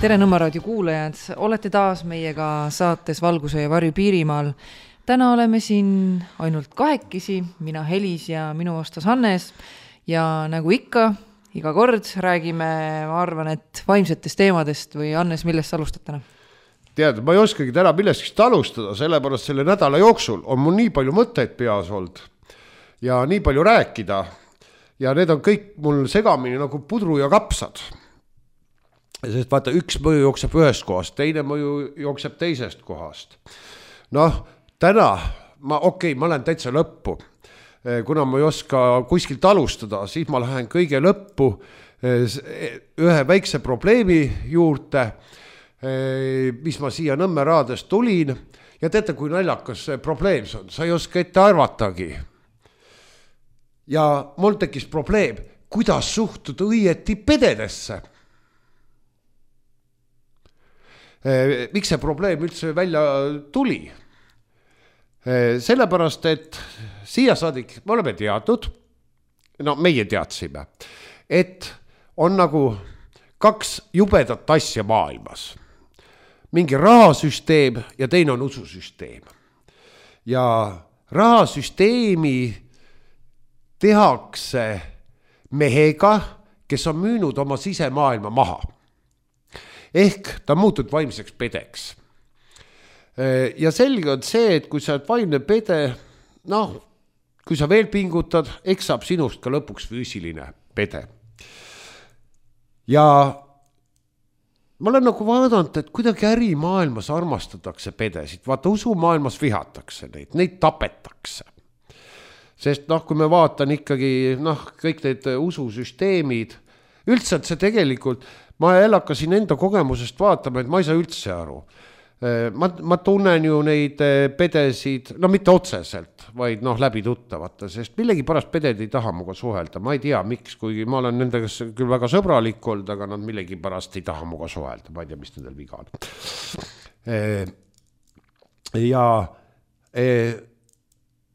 Tere Nõmme raadio kuulajad, olete taas meiega saates Valguse ja varju Piirimaal. Täna oleme siin ainult kahekesi, mina Helis ja minu vastas Hannes. Ja nagu ikka, iga kord räägime, ma arvan, et vaimsetest teemadest või Hannes, millest sa alustad täna? Tead, ma ei oskagi täna millestki alustada, sellepärast selle nädala jooksul on mul nii palju mõtteid peas olnud ja nii palju rääkida ja need on kõik mul segamini nagu pudru ja kapsad. Sest vaata, üks mõju jookseb ühest kohast, teine mõju jookseb teisest kohast. Noh, täna, ma lähen täitsa lõppu. Kuna ma ei oska kuskilt alustada, siis ma lähen kõige lõppu ühe väikse probleemi juurde, mis ma siia Nõmme raadest tulin. Ja teate, kui naljakas see probleem on, sa ei oska ette arvatagi. Ja mul tekkis probleem, kuidas suhtuda õieti pededesse. Miks see probleem üldse välja tuli? Sellepärast, et siia saadik me oleme teadnud, meie teadsime, et on nagu kaks jubedat asja maailmas. Mingi rahasüsteem ja teine on ususüsteem. Ja rahasüsteemi tehakse mehega, kes on müünud oma sisemaailma maha. Ehk ta muutud vaimseks pedeks. Ja selge on see, et kui sa oled vaimne pede, kui sa veel pingutad, eks saab sinust ka lõpuks füüsiline pede. Ja ma olen nagu vaadanud, et kuidagi ärimaailmas armastatakse pedesid. Vaata, usumaailmas vihatakse neid tapetakse. Sest kui me vaatan ikkagi kõik need ususüsteemid, üldse see tegelikult, ma hakkasin enda kogemusest vaatama, et ma ei saa üldse aru. Ma tunnen ju neid pedesid, mitte otseselt, vaid läbi tuttavate, sest millegi pärast peded ei taha muga suhelda. Ma ei tea, miks, kuigi ma olen nendega küll väga sõbralik olnud, aga nad millegi pärast ei taha muga suhelda. Ma ei tea, mis nendel viga on.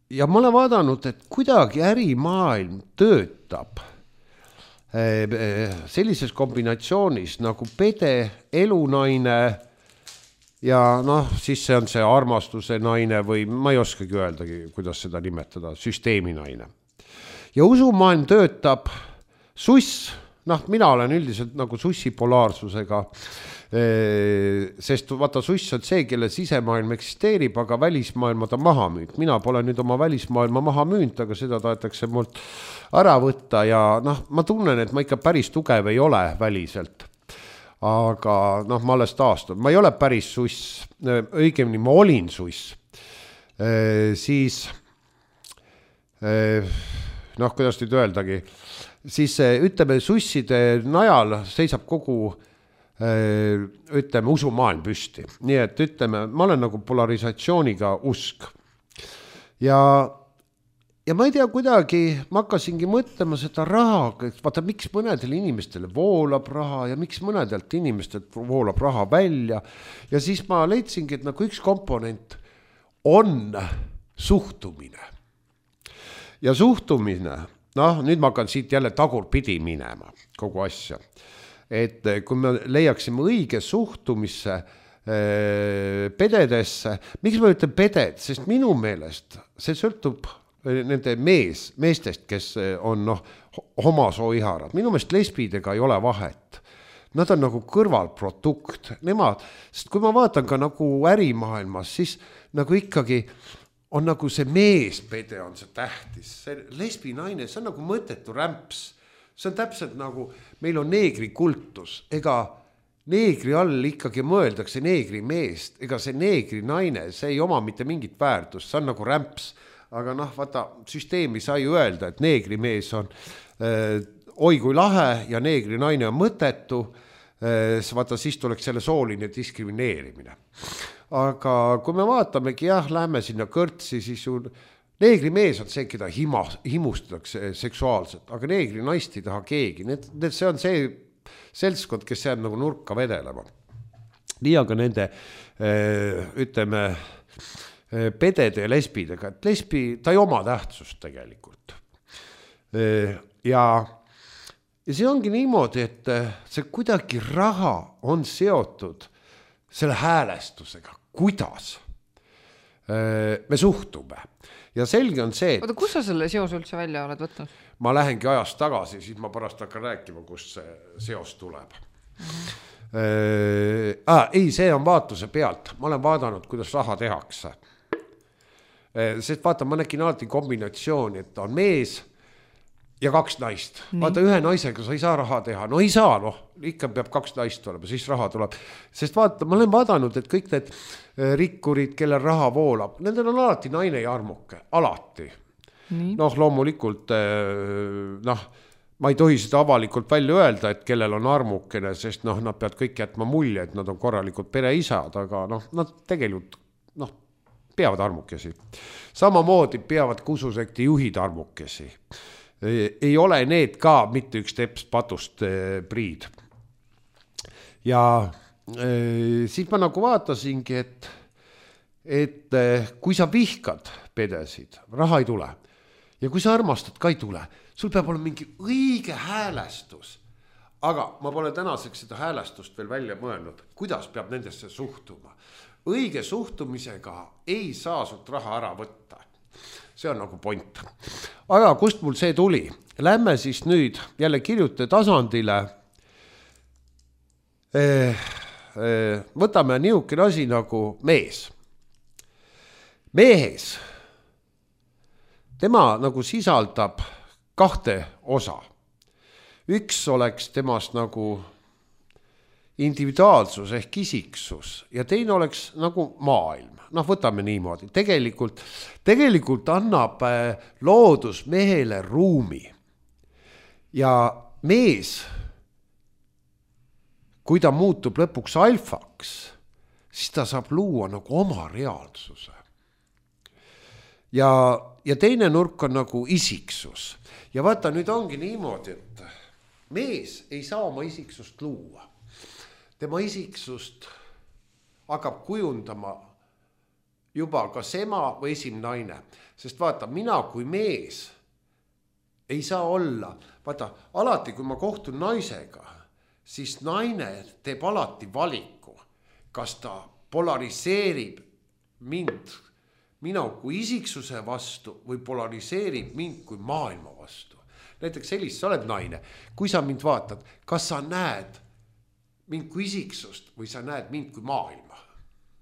Ja ma olen vaadanud, et kuidagi ärimaailm töötab sellises kombinatsioonis nagu pede, elunaine ja siis see on see armastuse naine või ma ei oskagi öeldagi, kuidas seda nimetada, süsteemi naine. Ja usumaailm töötab suss, mina olen üldiselt nagu sussi polaarsusega, sest vaata suss on see, kelle sisemaailm eksisteerib, aga välismaailma ta maha müüd. Mina pole nüüd oma välismaailma maha müünud, aga seda tahetakse mult ära võtta ja ma tunnen, et ma ikka päris tugev ei ole väliselt. Aga ma alles taastun. Ma ei ole päris suss, õigemini ma olin suss. Siis, kuidas nüüd öeldagi, siis ütleme susside najal seisab kogu usumaailm püsti. Nii et ütleme, ma olen nagu polarisatsiooniga usk. Ja ma ei tea kuidagi, ma hakkasingi mõtlema seda raha, vaata miks mõnedel inimestele voolab raha ja miks mõnedelt inimestelt voolab raha välja. Ja siis ma leidsingi, et nagu üks komponent on suhtumine. Ja suhtumine, nüüd ma hakkan siit jälle tagurpidi minema kogu asja. Et kui me leiaksime õige suhtumisse pededesse, miks ma ütlen peded, sest minu meelest see sõltub nende meestest, kes on homasooiharad. Minu meelest lesbidega ei ole vahet. Nad on nagu kõrvalprodukt. Sest kui ma vaatan ka nagu ärimaailmas, siis nagu ikkagi on nagu see meespede on see tähtis. See lesbi naine, see on nagu mõttetu rämps. See on täpselt nagu, meil on neegri kultus, ega neegri all ikkagi mõeldakse neegri meest, ega see neegri naine, see ei oma mitte mingit väärtust, see on nagu rämps, aga vaata, süsteemi sai öelda, et neegri mees on oi kui lahe ja neegri naine on mõttetu, vaata, siis tuleks selle sooline diskrimineerimine. Aga kui me vaatamegi, lähme sinna kõrtsi, siis neegri mees on see, keda himustatakse seksuaalselt, aga neegri naist ei taha keegi. See on see seltskond, kes jääb nagu nurka vedelema. Nii aga nende, ütleme, pedede ja lesbidega, et lesbi, ta ei oma tähtsust tegelikult. Ja ja see ongi niimoodi, et see kuidagi raha on seotud selle häälestusega, kuidas me suhtume. Ja selge on see, et oota, kus sa selle seos üldse välja oled võtnud? ma lähengi ajast tagasi, siis ma pärast hakkan rääkima, kust see seos tuleb. Ei, see on vaatuse pealt. Ma olen vaadanud, kuidas raha tehakse. Sest vaata, ma nägin alati kombinatsiooni, et on mees ja 2 naist. Vaata, ühe naisega sa ei saa raha teha. No ei saa, ikka peab 2 naist olema, siis raha tuleb. Sest vaata, ma olen vaadanud, et kõik need rikkurid, kellel raha voolab, nendel on alati naine ja armuke. Alati. Loomulikult, ma ei tohi seda avalikult välja öelda, et kellel on armukene, sest nad peavad kõik jätma mulje, et nad on korralikult pereisad, aga nad tegelikult peavad armukesi. Samamoodi peavad kususekti juhid armukesi. Ei ole need ka mitte üks teps patust priid. Ja siis ma nagu vaatasingi, et kui sa vihkad pedesid, raha ei tule. Ja kui sa armastad, ka ei tule. Sul peab olema mingi õige häälestus. Aga ma pole tänaseks seda häälestust veel välja mõelnud. Kuidas peab nendesse suhtuma? Õige suhtumisega ei saa sult raha ära võtta. See on nagu point. Aga kust mul see tuli? Lähme siis nüüd jälle kirjute tasandile. Võtame niisugune asi nagu mees. Mehes. Tema nagu sisaldab 2 osa. Üks oleks temast nagu individuaalsus ehk isiksus ja teine oleks nagu maailm. Võtame niimoodi. Tegelikult annab loodus mehele ruumi. Ja mees, kui ta muutub lõpuks alfaks, siis ta saab luua nagu oma reaalsuse. Ja teine nurk on nagu isiksus. Ja vaata, nüüd ongi niimoodi, et mees ei saa oma isiksust luua. Tema isiksust hakkab kujundama juba kas ema või esimene naine. Sest vaata, mina kui mees ei saa olla. Vaata, alati kui ma kohtun naisega, siis naine teeb alati valiku. Kas ta polariseerib mind mina kui isiksuse vastu või polariseerib mind kui maailma vastu. Näiteks sellist, sa oled naine. Kui sa mind vaatad, kas sa näed mind kui isiksust või sa näed mind kui maailma?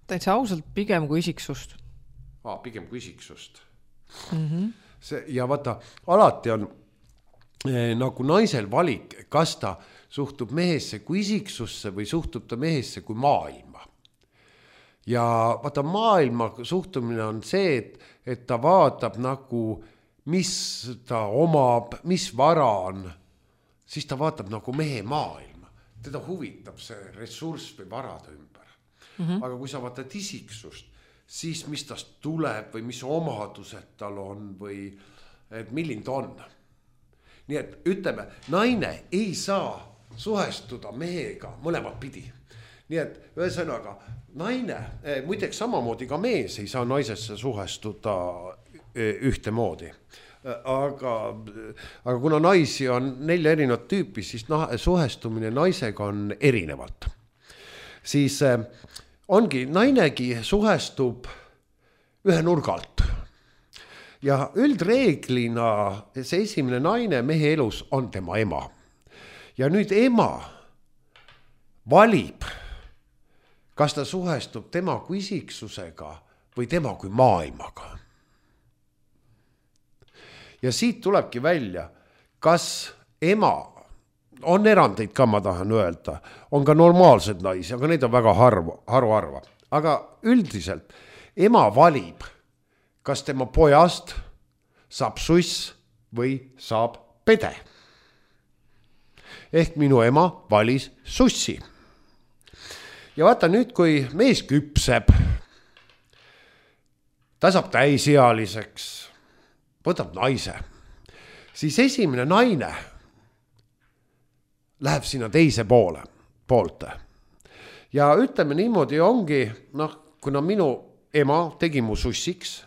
Täitsa ausalt pigem kui isiksust. Pigem kui isiksust. Ja vaata, alati on nagu naisel valik, kas ta suhtub mehesse kui isiksusse või suhtub ta mehesse kui maailma. Ja vaata, maailma suhtumine on see, et ta vaatab nagu, mis ta omab, mis vara on, siis ta vaatab nagu mehe maailma. Teda huvitab see ressurss või varade ümber. Aga kui sa vaatad isiksust, siis mis tast tuleb või mis omadused tal on või et milline ta on. Nii et ütleme, naine ei saa suhestuda mehega mõlemat pidi. Nii et ühesõnaga, naine, muideks samamoodi ka mees ei saa naisesse suhestuda ühtemoodi. Aga kuna naisi on 4 erinevat tüüpi, siis suhestumine naisega on erinevalt. Siis ongi, nainegi suhestub ühe nurgalt. Ja üldreeglina see esimene naine mehe elus on tema ema. Ja nüüd ema valib, kas ta suhestub tema kui isiksusega või tema kui maailmaga. Ja siit tulebki välja, kas ema, on erandeid ka, ma tahan öelda, on ka normaalsed naisi, aga neid on väga haruharva. Aga üldiselt ema valib, kas tema pojast saab suss või saab pede. Ehk minu ema valis sussi. Ja vaata nüüd, kui mees küpseb, ta saab täisealiseks, võtab naise, siis esimene naine läheb sinna teise poolte. Ja ütleme niimoodi ongi, kuna minu ema tegi mu sussiks,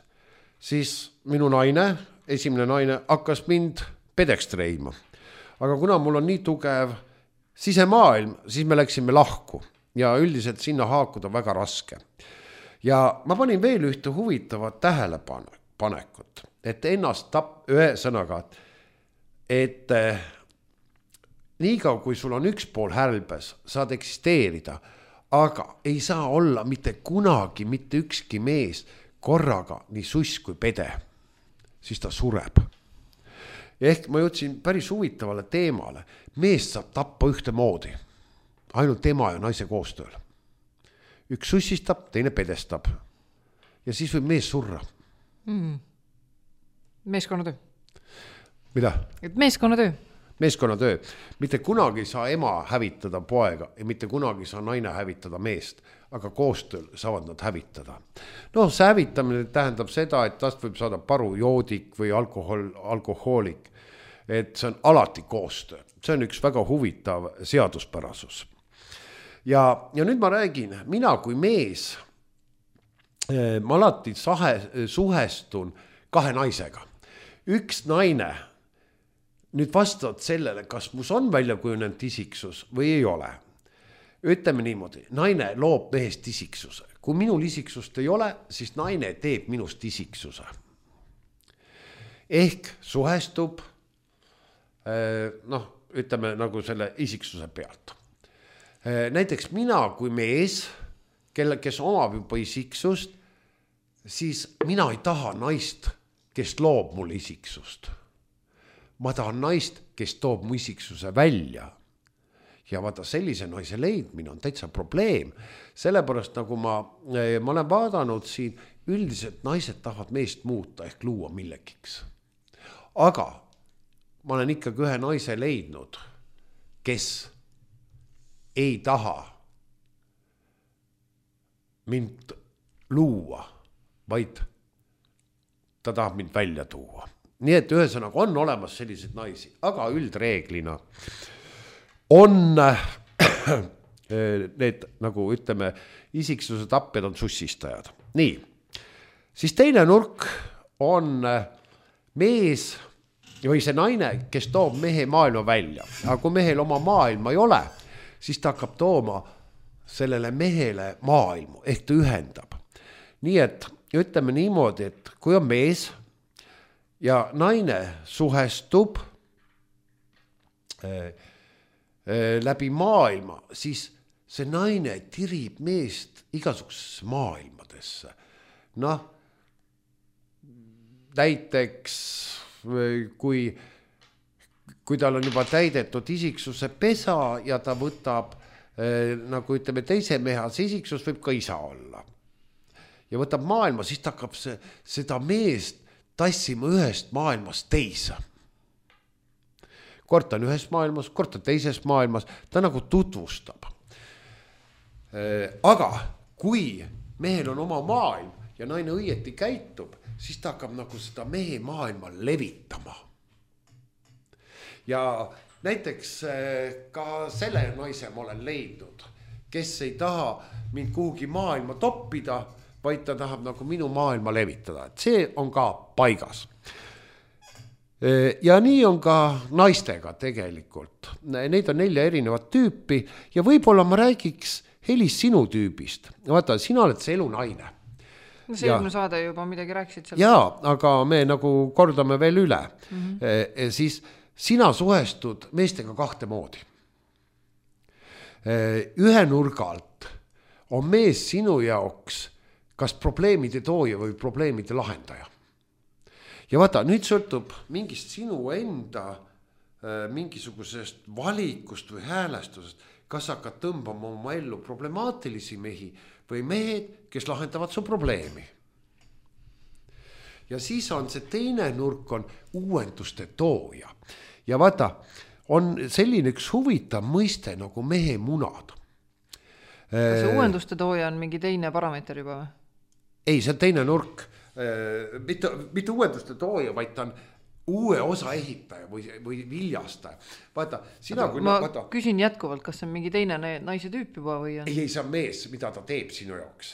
siis minu naine, esimene naine hakkas mind pedeks treima. aga kuna mul on nii tugev sisemaailm, siis me läksime lahku ja üldiselt sinna haakuda väga raske. Ja ma panin veel ühte huvitavat tähelepanekut, et ennast ühe sõnaga, et niikaua kui sul on üks pool hälbes, saad eksisteerida, aga ei saa olla mitte kunagi mitte ükski mees korraga nii suss kui pede, siis ta sureb. Ehk ma jõudsin päris huvitavale teemale. Meest saab tappa ühte moodi, ainult tema ja naise koostööl. Üks sussistab, teine pedestab ja siis võib mees surra. Meeskonnatöö. Mida? Et meeskonnatöö. Meeskonnatöö. Mitte kunagi saa ema hävitada poega ja mitte kunagi saa naine hävitada meest, aga koostööl saavad nad hävitada. No see hävitamine tähendab seda, et tast võib saada parujoodik või alkohoolik, et see on alati koostöö. See on üks väga huvitav seaduspärasus. Ja nüüd ma räägin, mina kui mees, ma alati suhestun kahe naisega. Üks naine nüüd vastavad sellele, kas mus on välja kujunenud isiksus või ei ole. Ütleme niimoodi, naine loob mehest isiksuse. Kui minul isiksust ei ole, siis naine teeb minust isiksuse. Ehk suhestub, ütleme nagu selle isiksuse pealt. Näiteks mina kui mees, kes omab juba isiksust, siis mina ei taha naist, kes loob mul isiksust. Ma tahan naist, kes toob mu isiksuse välja. Ja vaata, sellise naise leidmine on täitsa probleem. Sellepärast nagu ma olen vaadanud siin, üldiselt naised tahavad meest muuta ehk luua millegiks. Aga ma olen ikkagi ühe naise leidnud, kes ei taha mind luua, vaid ta tahab mind välja tuua. Nii et ühesõnaga on olemas sellised naisi, aga üldreeglina on need, nagu ütleme, isiksuse tapjad on sussistajad. Nii, siis teine nurk on mees või see naine, kes toob mehe maailma välja. Aga kui mehel oma maailma ei ole, siis ta hakkab tooma sellele mehele maailmu, ehk ta ühendab. Nii et ütleme niimoodi, et kui on mees ja naine suhestub läbi maailma, siis see naine tirib meest igasugusesse maailmadesse. Noh, näiteks kui tal on juba täidetud isiksuse pesa ja ta võtab, nagu ütleme, teise mehas isiksus võib ka isa olla. Ja võtab maailma, siis ta hakkab seda meest tassima ühest maailmast teise. Kord on ühes maailmas, kord on teises maailmas, ta nagu tutvustab. Aga kui mehel on oma maailm ja naine õieti käitub, siis ta hakkab nagu seda mehe maailma levitama. Ja näiteks ka selle naise ma olen leidnud, kes ei taha mind kuhugi maailma toppida, vaid ta tahab nagu minu maailma levitada. Et see on ka paigas. Ja nii on ka naistega tegelikult. Neid on 4 erinevat tüüpi ja võib-olla ma räägiks Helis sinu tüübist. Vaata, sina oled see elunaine. No see eelmine saade juba midagi rääkisid seal. Jaa, aga me nagu kordame veel üle. Siis sina suhestud meestega 2 moodi. Ühe nurgalt on mees sinu jaoks kas probleemide tooja või probleemide lahendaja. Ja vaata, nüüd sõltub mingist sinu enda mingisugusest valikust või häälestusest, kas hakkad tõmbama oma ellu problemaatilisi mehi või mehed, kes lahendavad su probleemi. Ja siis on see teine nurk on uuenduste tooja. Ja vaata, on selline üks huvitav mõiste nagu mehe munad. Kas see uuenduste tooja on mingi teine parameeter juba või? Ei, see on teine nurk. Mitte uuenduste tooja, vaid ta on uue osa ehitaja või viljastaja. Vaata, sina kui... Ma küsin jätkuvalt, kas see on mingi teine naise tüüp juba või on? Ei, see on mees, mida ta teeb sinu jaoks.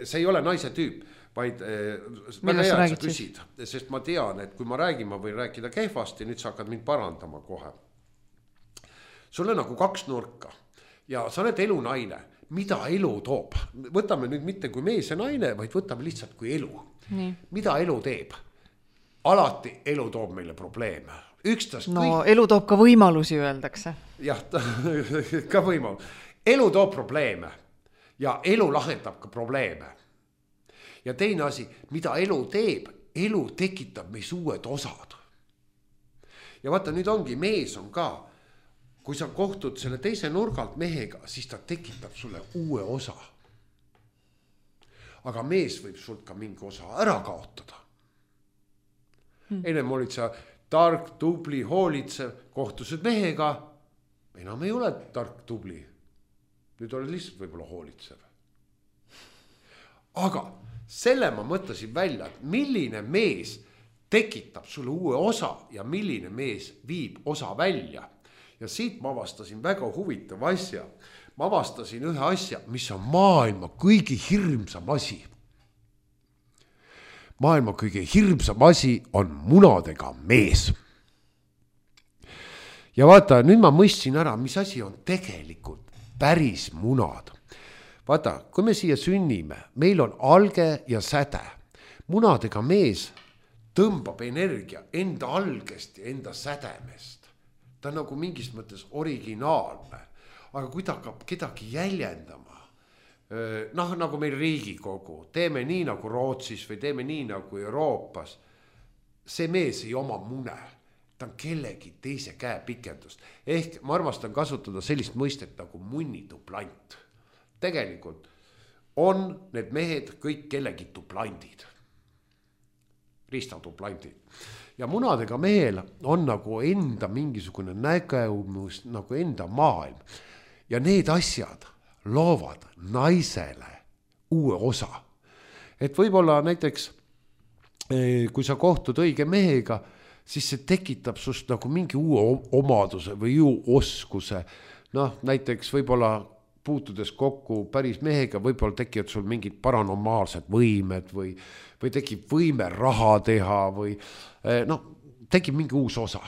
See ei ole naise tüüp, vaid väga hea, et sa küsid, sest ma tean, et kui ma räägin, ma võin rääkida kehvasti, nüüd sa hakkad mind parandama kohe. Sul on nagu 2 nurka ja sa oled elunaine, mida elu toob. Võtame nüüd mitte kui mees ja naine, vaid võtame lihtsalt kui elu. Nii. Mida elu teeb? Alati elu toob meile probleeme. Elu toob ka võimalusi, öeldakse. Jah, ka võimalus. Elu toob probleeme ja elu lahendab ka probleeme. Ja teine asi, mida elu teeb, elu tekitab meis uued osad. Ja vaata, nüüd ongi, mees on ka, kui sa kohtud selle teise nurgalt mehega, siis ta tekitab sulle uue osa. Aga mees võib sult ka mingi osa ära kaotada. Ennem olid sa tark, tubli, hoolitsev, kohtused mehega, enam ei ole tark, tubli. Nüüd oled lihtsalt võib-olla hoolitsev. Aga selle ma mõtlesin välja, et milline mees tekitab sulle uue osa ja milline mees viib osa välja. Ja siit ma avastasin väga huvitav asja. Ma avastasin ühe asja, mis on maailma kõige hirmsam asi. Maailma kõige hirmsam asi on munadega mees. Ja vaata, nüüd ma mõistsin ära, mis asi on tegelikult päris munad. Vaata, kui me siia sünnime, meil on alge ja säde. Munadega mees tõmbab energia enda algest ja enda sädemest. Ta on nagu mingis mõttes originaalne. Aga kui ta hakkab kedagi jäljendama, nagu meil Riigikogu, teeme nii nagu Rootsis või teeme nii nagu Euroopas, see mees ei oma mune. Ta on kellegi teise käe pikendust. Ehk ma armastan kasutada sellist mõistet nagu munnituplant. Tegelikult on need mehed kõik kellegi tuplandid. Ristatuplandid. Ja munadega mehel on nagu enda mingisugune nägemus, nagu enda maailm. Ja need asjad loovad naisele uue osa. Et võib-olla näiteks, kui sa kohtud õige mehega, siis see tekitab sust nagu mingi uue omaduse või oskuse. Näiteks võib-olla puutudes kokku päris mehega, võib-olla tekivad sul mingid paranormaalsed võimed või tekib võime raha teha või tekib mingi uus osa.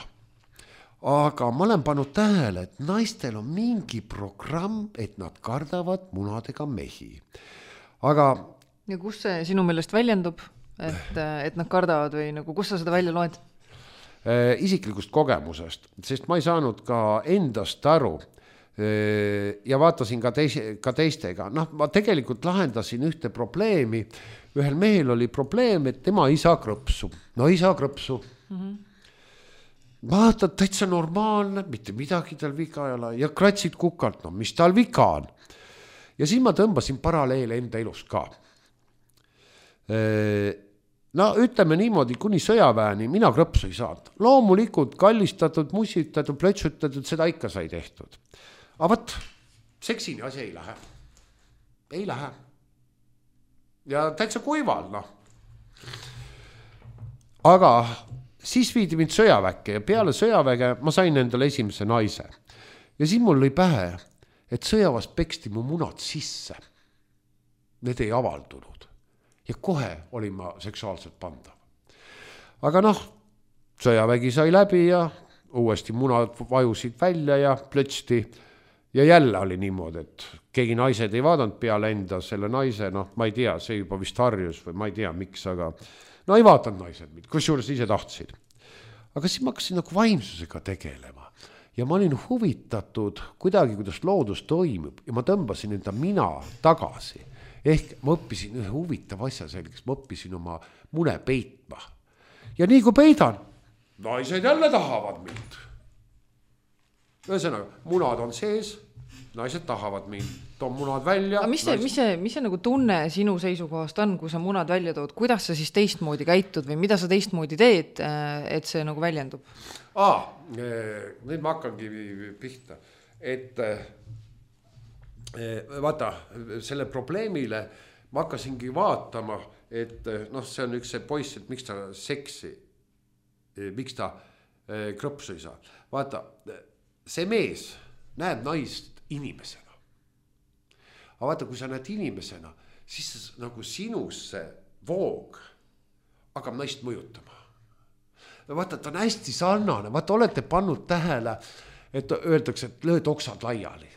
Aga ma olen pannud tähele, et naistel on mingi programm, et nad kardavad munadega mehi. Aga... Ja kus see sinu meelest väljendub, et nad kardavad või nagu, kus sa seda välja loed? Isiklikust kogemusest, sest ma ei saanud ka endast aru ja vaatasin ka teistega. Ma tegelikult lahendasin ühte probleemi. Ühel mehel oli probleem, et tema ei saa krõpsu. Ei saa krõpsu. Vaata, täitsa normaalne, mitte midagi tal viga ei ole ja kratsid kukalt, mis tal viga on. Ja siis ma tõmbasin paralleele enda elus ka. Ütleme niimoodi, kuni sõjaväeni mina krõpsu ei saanud. Loomulikult kallistatud, musitatud, plötsutatud, seda ikka sai tehtud. Aga võt, seksini asi ei lähe. Ei lähe. Ja täitsa kuival, Aga siis viidi mind sõjaväkke ja peale sõjaväge ma sain endale esimese naise. Ja siis mul lõi pähe, et sõjavas peksti mu munad sisse. Need ei avaldunud. Ja kohe olin ma seksuaalselt pandav. Aga sõjavägi sai läbi ja uuesti munad vajusid välja ja plötsti. Ja jälle oli niimoodi, et keegi naised ei vaadanud peale enda selle naise, ma ei tea, see juba vist harjus või ma ei tea, miks, aga ei vaatanud naised, kusjuures ise tahtsid. Aga siis ma hakkasin nagu vaimsusega tegelema ja ma olin huvitatud kuidagi, kuidas loodus toimub ja ma tõmbasin enda mina tagasi. Ehk ma õppisin ühe huvitav asja selgeks, ma õppisin oma mune peitma. Ja nii kui peidan, naised jälle tahavad mind. Ühesõnaga, munad on sees, naised tahavad mind, toon munad välja. Mis see nagu tunne sinu seisukohast on, kui sa munad välja tood? Kuidas sa siis teistmoodi käitud või mida sa teistmoodi teed, et see nagu väljendub? Nüüd ma hakkangi pihta. Et vaata, selle probleemile ma hakkasingi vaatama, et see on üks see poiss, et miks ta seksi, miks ta krõpsu ei saa. Vaata, see mees näeb naist inimesena. Aga vaata, kui sa näed inimesena, siis nagu sinusse voog hakkab naist mõjutama. Vaata, ta on hästi sarnane, vaata, olete pannud tähele, et öeldakse, et lööd oksad laiali.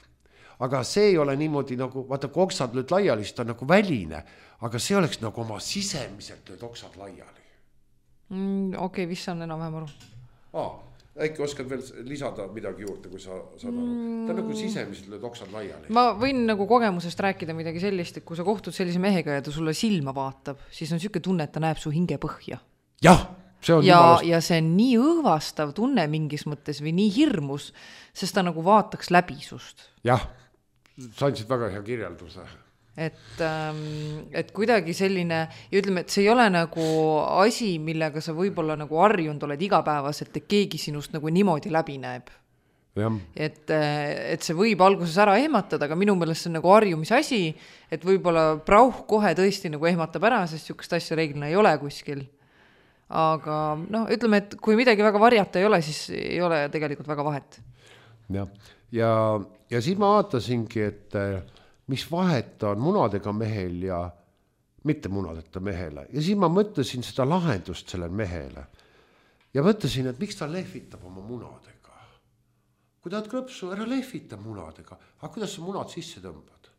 Aga see ei ole niimoodi nagu, vaata, kui oksad lööd laiali, siis ta on nagu väline, aga see oleks nagu oma sisemiselt lööd oksad laiali. Okei, vist saan enam-vähem aru. Äkki oskad veel lisada midagi juurde, kui sa saad aru. Ta on nagu sisemiselt lööd oksad laiali. Ma võin nagu kogemusest rääkida midagi sellist, et kui sa kohtud sellise mehega ja ta sulle silma vaatab, siis on siuke tunne, et ta näeb su hinge põhja. Jah, see on ja see on nii õõvastav tunne mingis mõttes või nii hirmus, sest ta nagu vaataks läbi sust. Jah, sa andsid väga hea kirjelduse. Et kuidagi selline, ja ütleme, et see ei ole nagu asi, millega sa võib-olla nagu harjunud oled igapäevaselt, et keegi sinust nagu niimoodi läbi näeb. Et see võib alguses ära ehmatada, aga minu meelest see on nagu harjumise asi, et võib-olla prauh kohe tõesti nagu ehmatab ära, sest siukest asja reeglina ei ole kuskil. Aga ütleme, et kui midagi väga varjata ei ole, siis ei ole tegelikult väga vahet. Ja siis ma vaatasingi, et mis vahet on munadega mehel ja mitte munadeta mehele. Ja siis ma mõtlesin seda lahendust sellele mehele. Ja mõtlesin, et miks ta lehvitab oma munadega. Kui tahad krõpsu, ära lehvita munadega. Aga kuidas sa munad sisse tõmbad?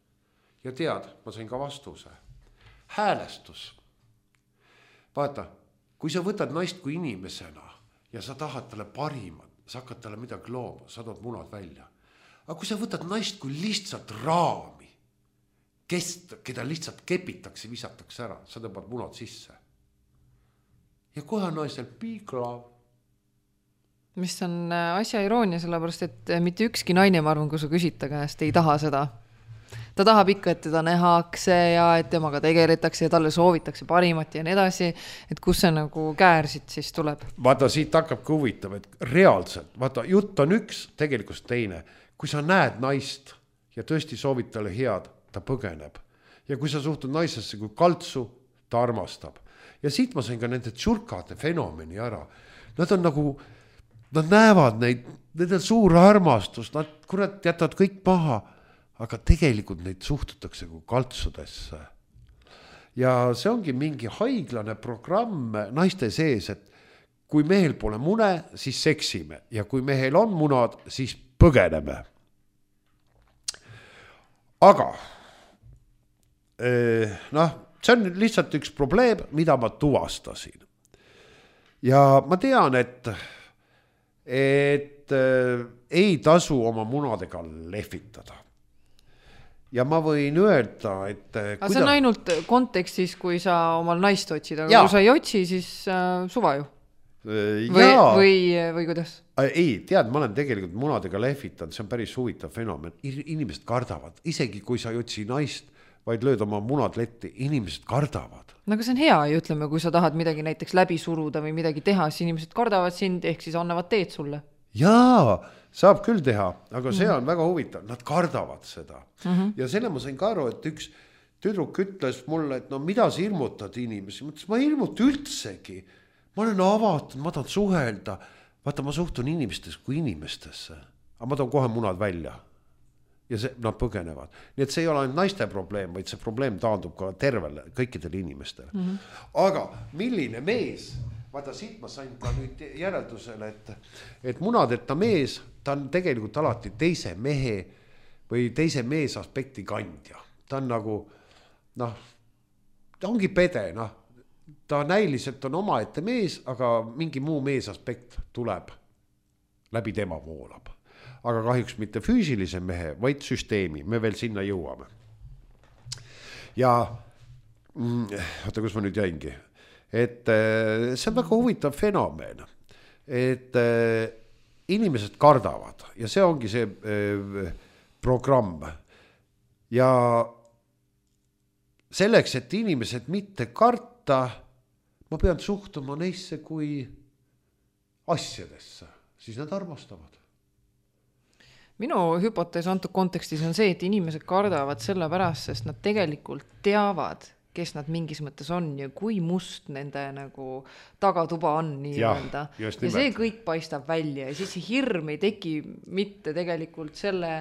Ja tead, ma sain ka vastuse. Häälestus. Vaata, kui sa võtad naist kui inimesena ja sa tahad talle parimat, sa hakkad talle midagi looma, sa tood munad välja. Aga kui sa võtad naist kui lihtsalt raami, keda lihtsalt kepitakse, visatakse ära, sa tõmbad munad sisse. Ja kohe on naisel piiklav. Mis on asja iroonia, sellepärast, et mitte ükski naine, ma arvan, kui sa küsid ta käest, ei taha seda. Ta tahab ikka, et teda nähakse ja et temaga tegeletakse ja talle soovitakse parimat ja nii edasi, et kus see nagu käärsid siis tuleb. Vaata, siit hakkabki huvitav, et reaalselt, vaata, jutt on üks, tegelikult teine. Kui sa näed naist ja tõesti soovid talle head, ta põgeneb. Ja kui sa suhtud naisesse kui kaltsu, ta armastab. Ja siit ma sain ka nende tšurkade fenomeni ära. Nad on nagu, nad näevad neid, need on suur armastus, nad kurat jätavad kõik maha, aga tegelikult neid suhtutakse kui kaltsudesse. Ja see ongi mingi haiglane programm naiste sees, et kui mehel pole mune, siis seksime ja kui mehel on munad, siis põgeneme. Aga see on lihtsalt üks probleem, mida ma tuvastasin. Ja ma tean, et ei tasu oma munadega lehvitada. Ja ma võin öelda, et aga see on ainult kontekstis, kui sa omal naist otsid, aga kui sa ei otsi, siis suva ju. Või kuidas? Ei, tead, ma olen tegelikult munadega lehvitanud, see on päris huvitav fenomen. Inimesed kardavad, isegi kui sa ei otsi naist, vaid lööd oma munad letti, inimesed kardavad. No aga see on hea ju, ütleme, kui sa tahad midagi näiteks läbi suruda või midagi teha, siis inimesed kardavad sind, ehk siis annavad teed sulle. Jaa, saab küll teha, aga see on väga huvitav, nad kardavad seda. Ja selle ma sain ka aru, et üks tüdruk ütles mulle, et mida sa hirmutad inimesi, mõtles, ma ei hirmuta üldsegi. Ma olen avatud, ma tahan suhelda. Vaata, ma suhtun inimestesse kui inimestesse. Aga ma tahan kohe munad välja. Ja nad põgenevad. Nii et see ei ole ainult naiste probleem, vaid see probleem taandub ka tervele, kõikidele inimestele. Aga milline mees, vaata siit ma sain ka nüüd järeldusele, et munadeta mees, ta on tegelikult alati teise mehe või teise mees aspekti kandja. Ta on nagu, ta ongi pede, ta näiliselt on omaette mees, aga mingi muu mees aspekt tuleb, läbi tema voolab. Aga kahjuks mitte füüsilise mehe, vaid süsteemi. Me veel sinna jõuame. Ja, oota, kus ma nüüd jäingi? Et see on väga huvitav fenomen. Et inimesed kardavad ja see ongi see programm. Ja selleks, et inimesed mitte karta, ma pean suhtuma neisse kui asjadesse, siis nad armastavad. Minu hüpotees antud kontekstis on see, et inimesed kardavad selle pärast, sest nad tegelikult teavad, kes nad mingis mõttes on ja kui must nende nagu tagatuba on nii-öelda. Ja see kõik paistab välja ja siis see hirm ei teki mitte tegelikult selle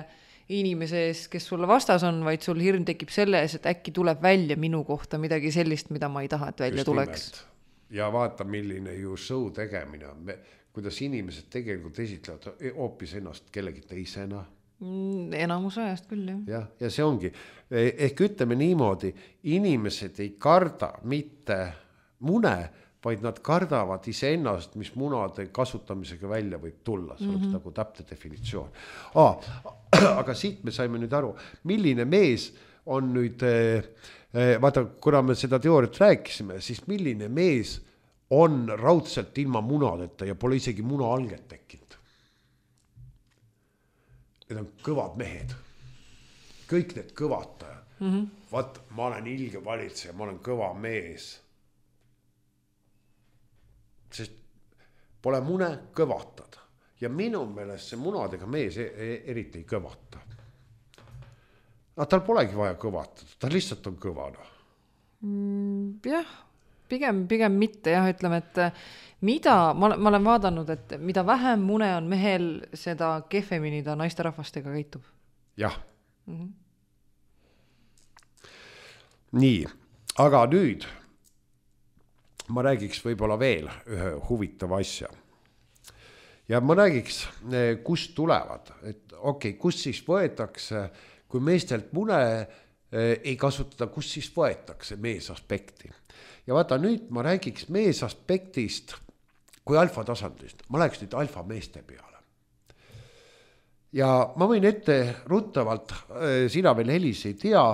inimese ees, kes sulle vastas on, vaid sul hirm tekib selle ees, et äkki tuleb välja minu kohta midagi sellist, mida ma ei taha, et välja tuleks. Ja vaata, milline ju show tegemine on, kuidas inimesed tegelikult esitlevad hoopis ennast kellegi teisena. Enamus ajast küll, jah. Ja see ongi, ehk ütleme niimoodi, inimesed ei karda mitte mune, vaid nad kardavad iseennast, mis munade kasutamisega välja võib tulla, see oleks nagu täpne definitsioon. Aga siit me saime nüüd aru, milline mees on nüüd, vaata, kuna me seda teooriat rääkisime, siis milline mees on raudselt ilma munadeta ja pole isegi muna alget tekkinud. Need on kõvad mehed. Kõik need kõvatajad. Vaat, ma olen ilge valitseja, ma olen kõva mees. Sest pole mune, kõvatad. Ja minu meelest see munadega mees eriti ei kõvata. Aga tal polegi vaja kõvatada, ta lihtsalt on kõvana. Jah, pigem mitte, jah, ütleme, et ma olen vaadanud, et mida vähem mune on mehel, seda kehvemini ta naisterahvastega käitub. Jah. Nii, aga nüüd ma räägiks võib-olla veel ühe huvitava asja. Ja ma räägiks, kust tulevad, et kust siis võetakse, kui meestelt mune ei kasutada, kust siis võetakse meesaspekti. Ja vaata, nüüd ma räägiks meesaspektist kui alfa tasandist. Ma läheks nüüd alfa meeste peale. Ja ma võin ette ruttavalt, sina veel Helis ei tea,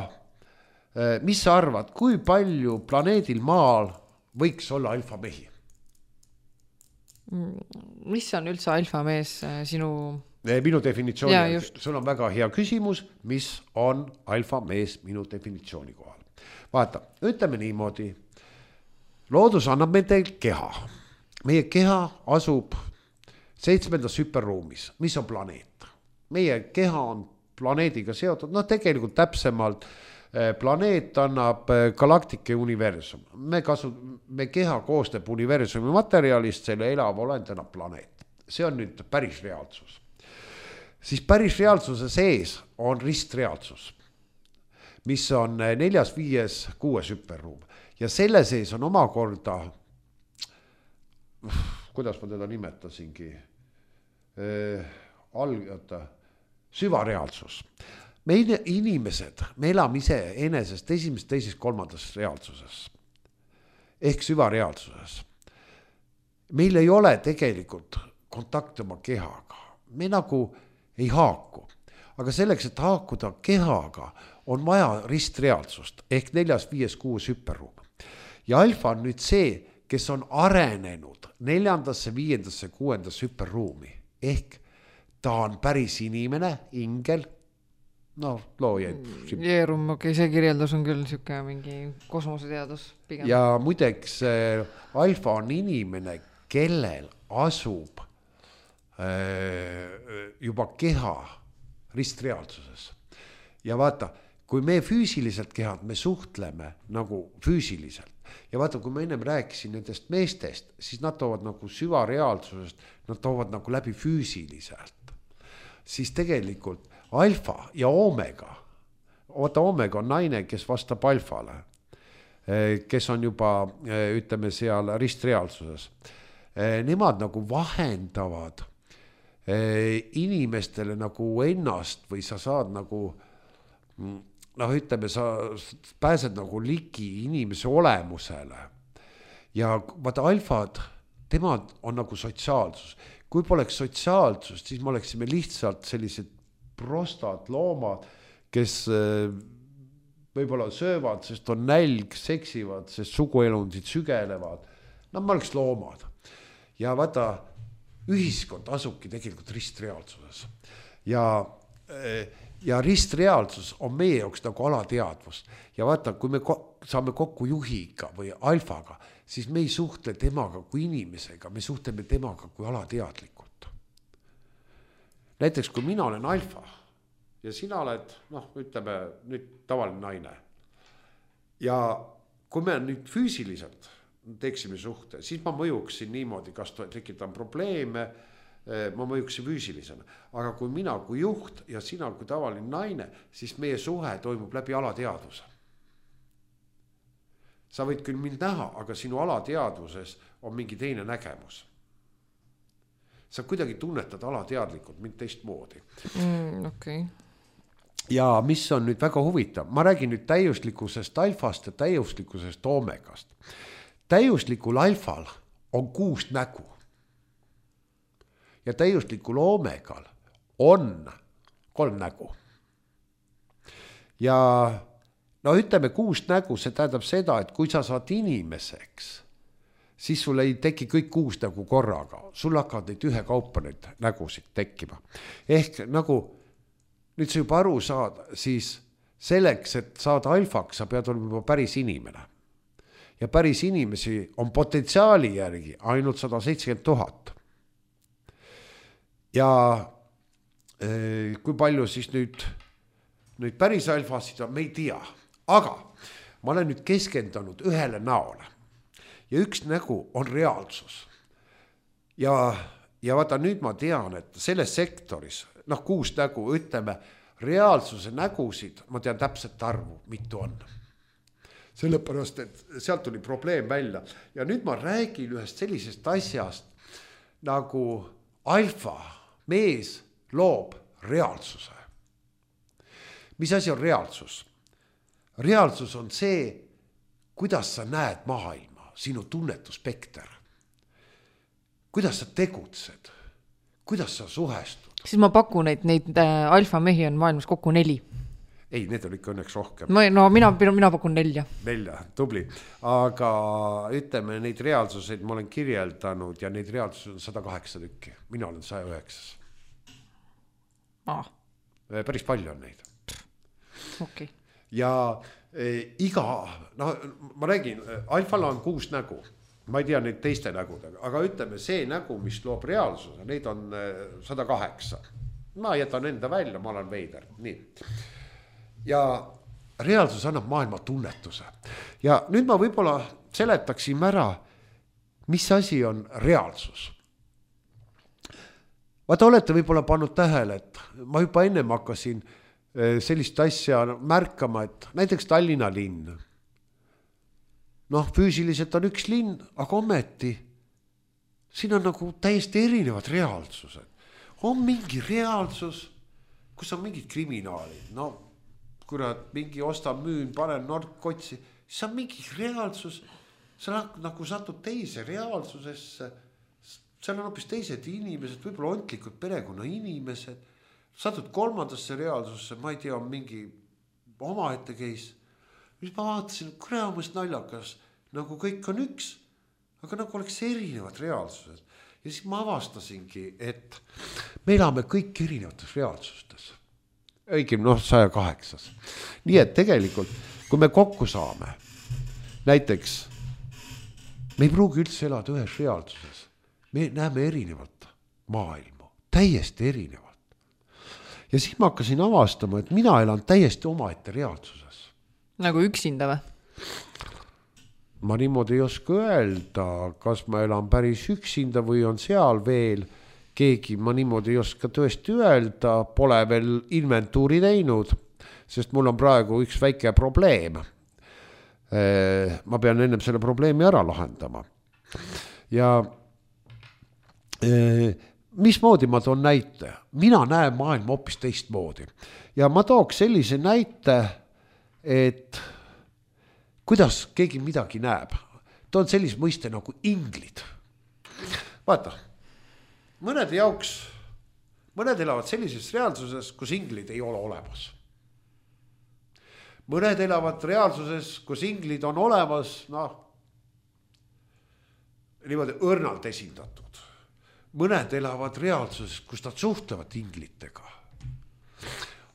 mis sa arvad, kui palju planeedil Maal võiks olla alfa mehi? Mis on üldse alfa mees sinu? Minu definitsiooni. Ja, sul on väga hea küsimus, mis on alfa mees minu definitsiooni kohal. Vaata, ütleme niimoodi, loodus annab meil keha. Meie keha asub 7. hüperruumis, mis on planeet. Meie keha on planeediga seotud, tegelikult täpsemalt planeet annab galaktika ja universum. Me keha koostab universumi materjalist, selle elav olend annab planeet. See on nüüd päris reaalsus. Siis päris reaalsuse sees on ristreaalsus, mis on 4., 5., 6. hüperruum. Ja selle sees on omakorda, kuidas ma teda nimetasingi, süvareaalsus. Me inimesed, me elame ise enesest 1., 2., 3. reaalsuses. Ehk süvareaalsuses. Meil ei ole tegelikult kontakti oma kehaga. Me nagu ei haaku. Aga selleks, et haakuda kehaga, on vaja ristreaalsust ehk 4., 5., 6. hüperruum. Ja alfa on nüüd see, kes on arenenud 4., 5., 6. hüperruumi. Ehk ta on päris inimene, ingel, loojaid. Jeerum, see kirjeldus on küll siuke mingi kosmoseteadus pigem. Ja muideks alfa on inimene, kellel asub juba keha ristreaalsuses. Ja vaata, kui me füüsiliselt kehad, me suhtleme nagu füüsiliselt. Ja vaata, kui ma ennem rääkisin nendest meestest, siis nad toovad nagu süvareaalsusest, nad toovad nagu läbi füüsiliselt. Siis tegelikult alfa ja omega, omega on naine, kes vastab alfale, kes on juba, ütleme seal ristreaalsuses. Nemad nagu vahendavad inimestele nagu ennast või sa saad nagu, ütleme, sa pääsed nagu ligi inimese olemusele. Ja vaata alfad, tema on nagu sotsiaalsus. Kui poleks sotsiaalsust, siis me oleksime lihtsalt sellised prostad loomad, kes võib-olla söövad, sest on nälg, seksivad, sest suguelundid sügelevad. Me oleks loomad. Ja vaata, ühiskond asubki tegelikult ristreaalsuses. Ja ristreaalsus on meie jaoks nagu alateadvus. Ja vaata, kui me saame kokku juhiga või alfaga, siis me ei suhtle temaga kui inimesega, me suhtleme temaga kui alateadlikult. Näiteks, kui mina olen alfa ja sina oled, ütleme, nüüd tavaline naine. Ja kui me nüüd füüsiliselt teeksime suhte, siis ma mõjuksin niimoodi, kas tekitan probleeme, ma mõjuksin füüsilisena, aga kui mina kui juht ja sina kui tavaline naine, siis meie suhe toimub läbi alateadvuse. Sa võid küll mind näha, aga sinu alateadvuses on mingi teine nägemus. Sa kuidagi tunnetad alateadlikult mind teistmoodi. Okay. Ja mis on nüüd väga huvitav, ma räägin nüüd täiuslikkusest alfast ja täiuslikkusest oomegast. Täiuslikul alfal on 6 nägu. Ja täiuslikul oomegal on 3 nägu. Ja no ütleme 6 nägu, see tähendab seda, et kui sa saad inimeseks, siis sul ei teki kõik 6 nägu korraga. Sul hakkavad neid ühekaupa neid nägusid tekkima. Ehk nagu nüüd sa juba aru saad, siis selleks, et saada alfaks, sa pead olema juba päris inimene. Ja päris inimesi on potentsiaali järgi ainult 170 000. Ja kui palju siis nüüd päris alfasid on, me ei tea. Aga ma olen nüüd keskendunud ühele näole. Ja üks nägu on reaalsus. Ja vaata nüüd ma tean, et selles sektoris, 6 nägu, ütleme, reaalsuse nägusid, ma tean täpselt arvu, mitu on. Sellepärast, et sealt tuli probleem välja. Ja nüüd ma räägin ühest sellisest asjast, nagu alfa mees loob reaalsuse. Mis asi on reaalsus? Reaalsus on see, kuidas sa näed maailma, sinu tunnetuspekter. Kuidas sa tegutsed, kuidas sa suhestud. Siis ma pakun, et neid alfa mehi on maailmas kokku 4. Ei, need on ikka õnneks rohkem. No mina pakun 4. 4, tubli. Aga ütleme, neid reaalsuseid ma olen kirjeldanud ja neid reaalsuseid on 108 tükki. Mina olen 109. Päris palju on neid. Okay. Ja iga, ma räägin, alfal on 6 nägu. Ma ei tea neid teiste nägudega, aga ütleme, see nägu, mis loob reaalsuse, neid on 108. Ma jätan enda välja, ma olen veider. Nii. Ja reaalsus annab maailma tunnetuse. Ja nüüd ma võib-olla seletaksin ära, mis asi on reaalsus. Vaata, olete võib-olla pannud tähele, et ma juba ennem hakkasin sellist asja märkama, et näiteks Tallinna linn. Füüsiliselt on üks linn, aga ometi siin on nagu täiesti erinevad reaalsused. On mingi reaalsus, kus on mingid kriminaalid. Kurat, mingi ostan, müün, panen narkotsi. See on mingi reaalsus. Sa nagu satud teise reaalsusesse. Seal on hoopis teised inimesed, võib-olla ontlikud perekonna inimesed. Satud 3. reaalsusse, ma ei tea, on mingi omaette case. Nüüd ma vaatasin, kuramust naljakas, nagu kõik on üks, aga nagu oleks erinevad reaalsused. Ja siis ma avastasingi, et me elame kõik erinevates reaalsustes. Õigem, 108. Nii et tegelikult, kui me kokku saame, näiteks, me ei pruugi üldse elada ühes reaalsuses. Me näeme erinevat maailma, täiesti erinevat. Ja siis ma hakkasin avastama, et mina elan täiesti omaette reaalsuses. Nagu üksinda või? Ma niimoodi ei oska öelda, kas ma elan päris üksinda või on seal veel keegi, ma niimoodi ei oska tõesti öelda, pole veel inventuuri teinud, sest mul on praegu üks väike probleem. Ma pean ennem selle probleemi ära lahendama. Ja mismoodi ma toon näite? Mina näen maailma hoopis teistmoodi. Ja ma tooks sellise näite, et kuidas keegi midagi näeb. Toon sellise mõiste nagu inglid. Vaata, mõned elavad sellises reaalsuses, kus inglid ei ole olemas. Mõned elavad reaalsuses, kus inglid on olemas, niimoodi õrnalt esindatud. Mõned elavad reaalsuses, kus nad suhtlevad inglitega.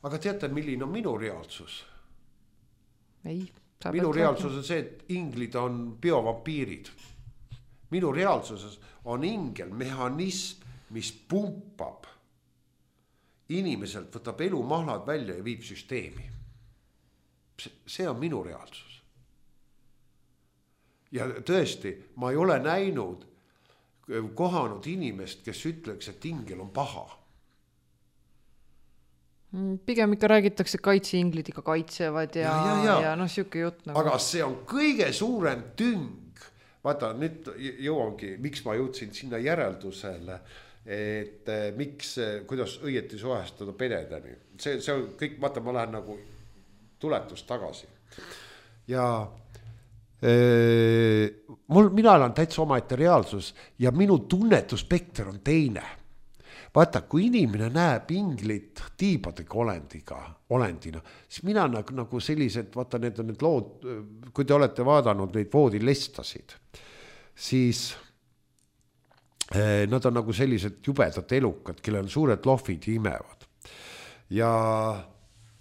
Aga teate, milline on minu reaalsus? Ei. Minu reaalsus on see, et inglid on biovampiirid. Minu reaalsuses on ingel, mehhanism, mis pumpab inimeselt, võtab elumahlad välja ja viib süsteemi. See on minu reaalsus. Ja tõesti, ma ei ole näinud kohanud inimest, kes ütleks, et ingel on paha. Pigem ikka räägitakse, kaitseinglid ikka kaitsevad ja noh, siuke jutt nagu. Aga see on kõige suurem tüng. Vaata, nüüd jõuangi, miks ma jõudsin sinna järeldusele, et miks, kuidas õieti suhestada pededeni. See on kõik, vaata, ma lähen nagu tuletust tagasi. Ja mina olen täitsa omaette reaalsus ja minu tunnetuspekter on teine. Vaata, kui inimene näeb inglit tiibadega olendina, siis mina nagu sellised, vaata, need on need lood, kui te olete vaadanud neid voodilestasid, siis nad on nagu sellised jubedad elukad, kellel on suured lohvid ja imevad. Ja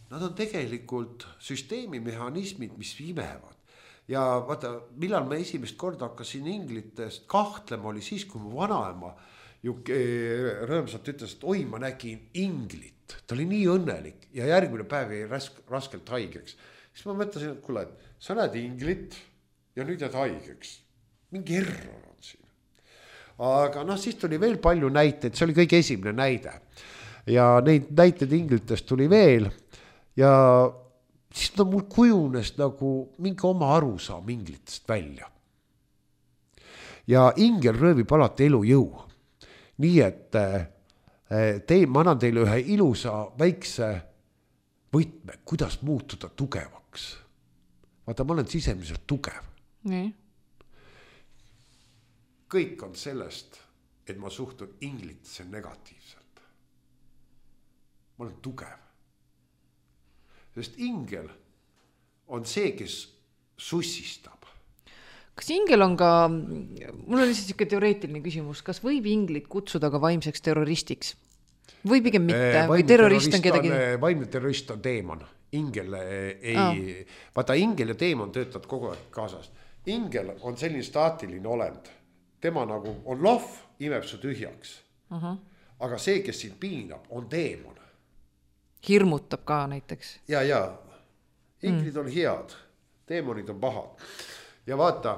nad on tegelikult süsteemimehhanismid, mis imevad. Ja vaata, millal ma esimest korda hakkasin inglitest kahtlema, oli siis, kui mu vanaema rõõmsalt ütles, et oi, ma nägin inglit. Ta oli nii õnnelik ja järgmine päev jäi raskelt haigeks. Siis ma mõtlesin, et kuule, et sa näed inglit ja nüüd jääd haigeks. Mingi error on siin. Aga noh, siis tuli veel palju näiteid, see oli kõige esimene näide. Ja neid näiteid inglitest tuli veel ja siis mul kujunes nagu mingi oma arusaam inglitest välja. Ja ingel röövib alati elujõu. Nii et ma annan teile ühe ilusa väikse võtme, kuidas muutuda tugevaks. Vaata, ma olen sisemiselt tugev. Nii. Kõik on sellest, et ma suhtun inglitesse negatiivselt. Ma olen tugev. Sest ingel on see, kes sussistab. Kas ingel on ka, mul on lihtsalt siuke teoreetiline küsimus, kas võib inglit kutsuda ka vaimseks terroristiks? Või pigem mitte? Või terrorist on kedagi? Vaimne terrorist on teemon. Ingel ei, vaata, ingel ja teemon töötavad kogu aeg kaasas. Ingel on selline staatiline olend. Tema nagu on lohv, imeb su tühjaks. Aga see, kes sind piinab, on teemon. Hirmutab ka näiteks. Ja. Inglid on head, teemonid on pahad. Ja vaata,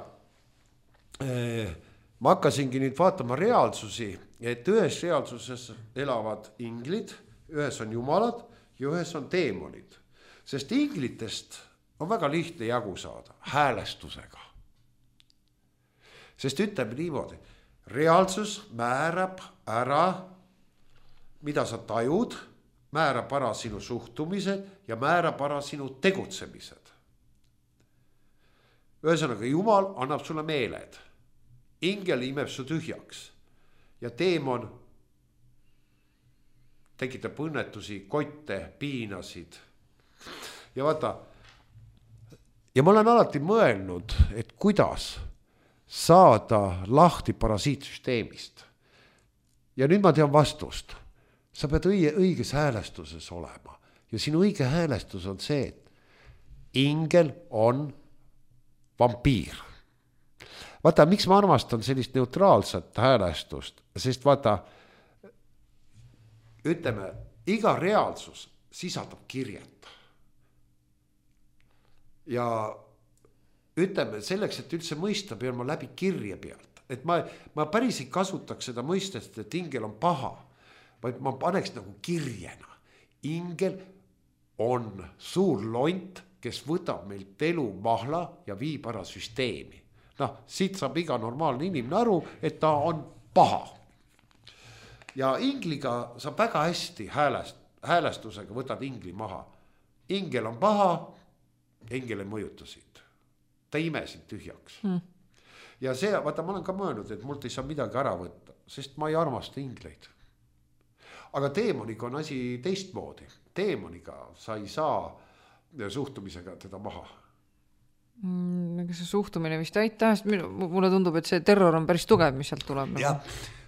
ma hakkasingi nüüd vaatama reaalsusi, et ühes reaalsuses elavad inglid, ühes on jumalad ja ühes on teemonid. Sest inglitest on väga lihtne jagu saada, häälestusega. Sest ütleme niimoodi, reaalsus määrab ära, mida sa tajud, määrab ära sinu suhtumised ja määrab ära sinu tegutsemised. Ühesõnaga, Jumal annab sulle meeled. Ingel imeb su tühjaks. Ja teemon tekitab õnnetusi, kotte, piinasid. Ja vaata, ja ma olen alati mõelnud, et kuidas saada lahti parasiitsüsteemist. Ja nüüd ma tean vastust. Sa pead õiges häälestuses olema. Ja sinu õige häälestus on see, et ingel on vampiir. Vaata, miks ma armastan sellist neutraalset häälestust, sest vaata, ütleme, iga reaalsus sisaldab kirjet. Ja ütleme, selleks, et üldse mõista, pean ma läbi kirje pealt. Et ma päris ei kasutaks seda mõistest, et ingel on paha, vaid ma paneks nagu kirjena. Ingel on suur lont, kes võtab meilt elu mahla ja viib ära süsteemi. Noh, siit saab iga normaalne inimene aru, et ta on paha. Ja ingliga saab väga hästi häälestusega võtad ingli maha. Ingel on paha, ingel ei mõjuta sind. Ta imesid tühjaks. Ja see, vaata, ma olen ka mõelnud, et mult ei saa midagi ära võtta, sest ma ei armasta ingleid. Aga teemoniga on asi teistmoodi. Teemoniga sa ei saa suhtumisega teda maha. See suhtumine vist aitäh, mulle tundub, et see terror on päris tugev, mis sealt tuleb. Jah,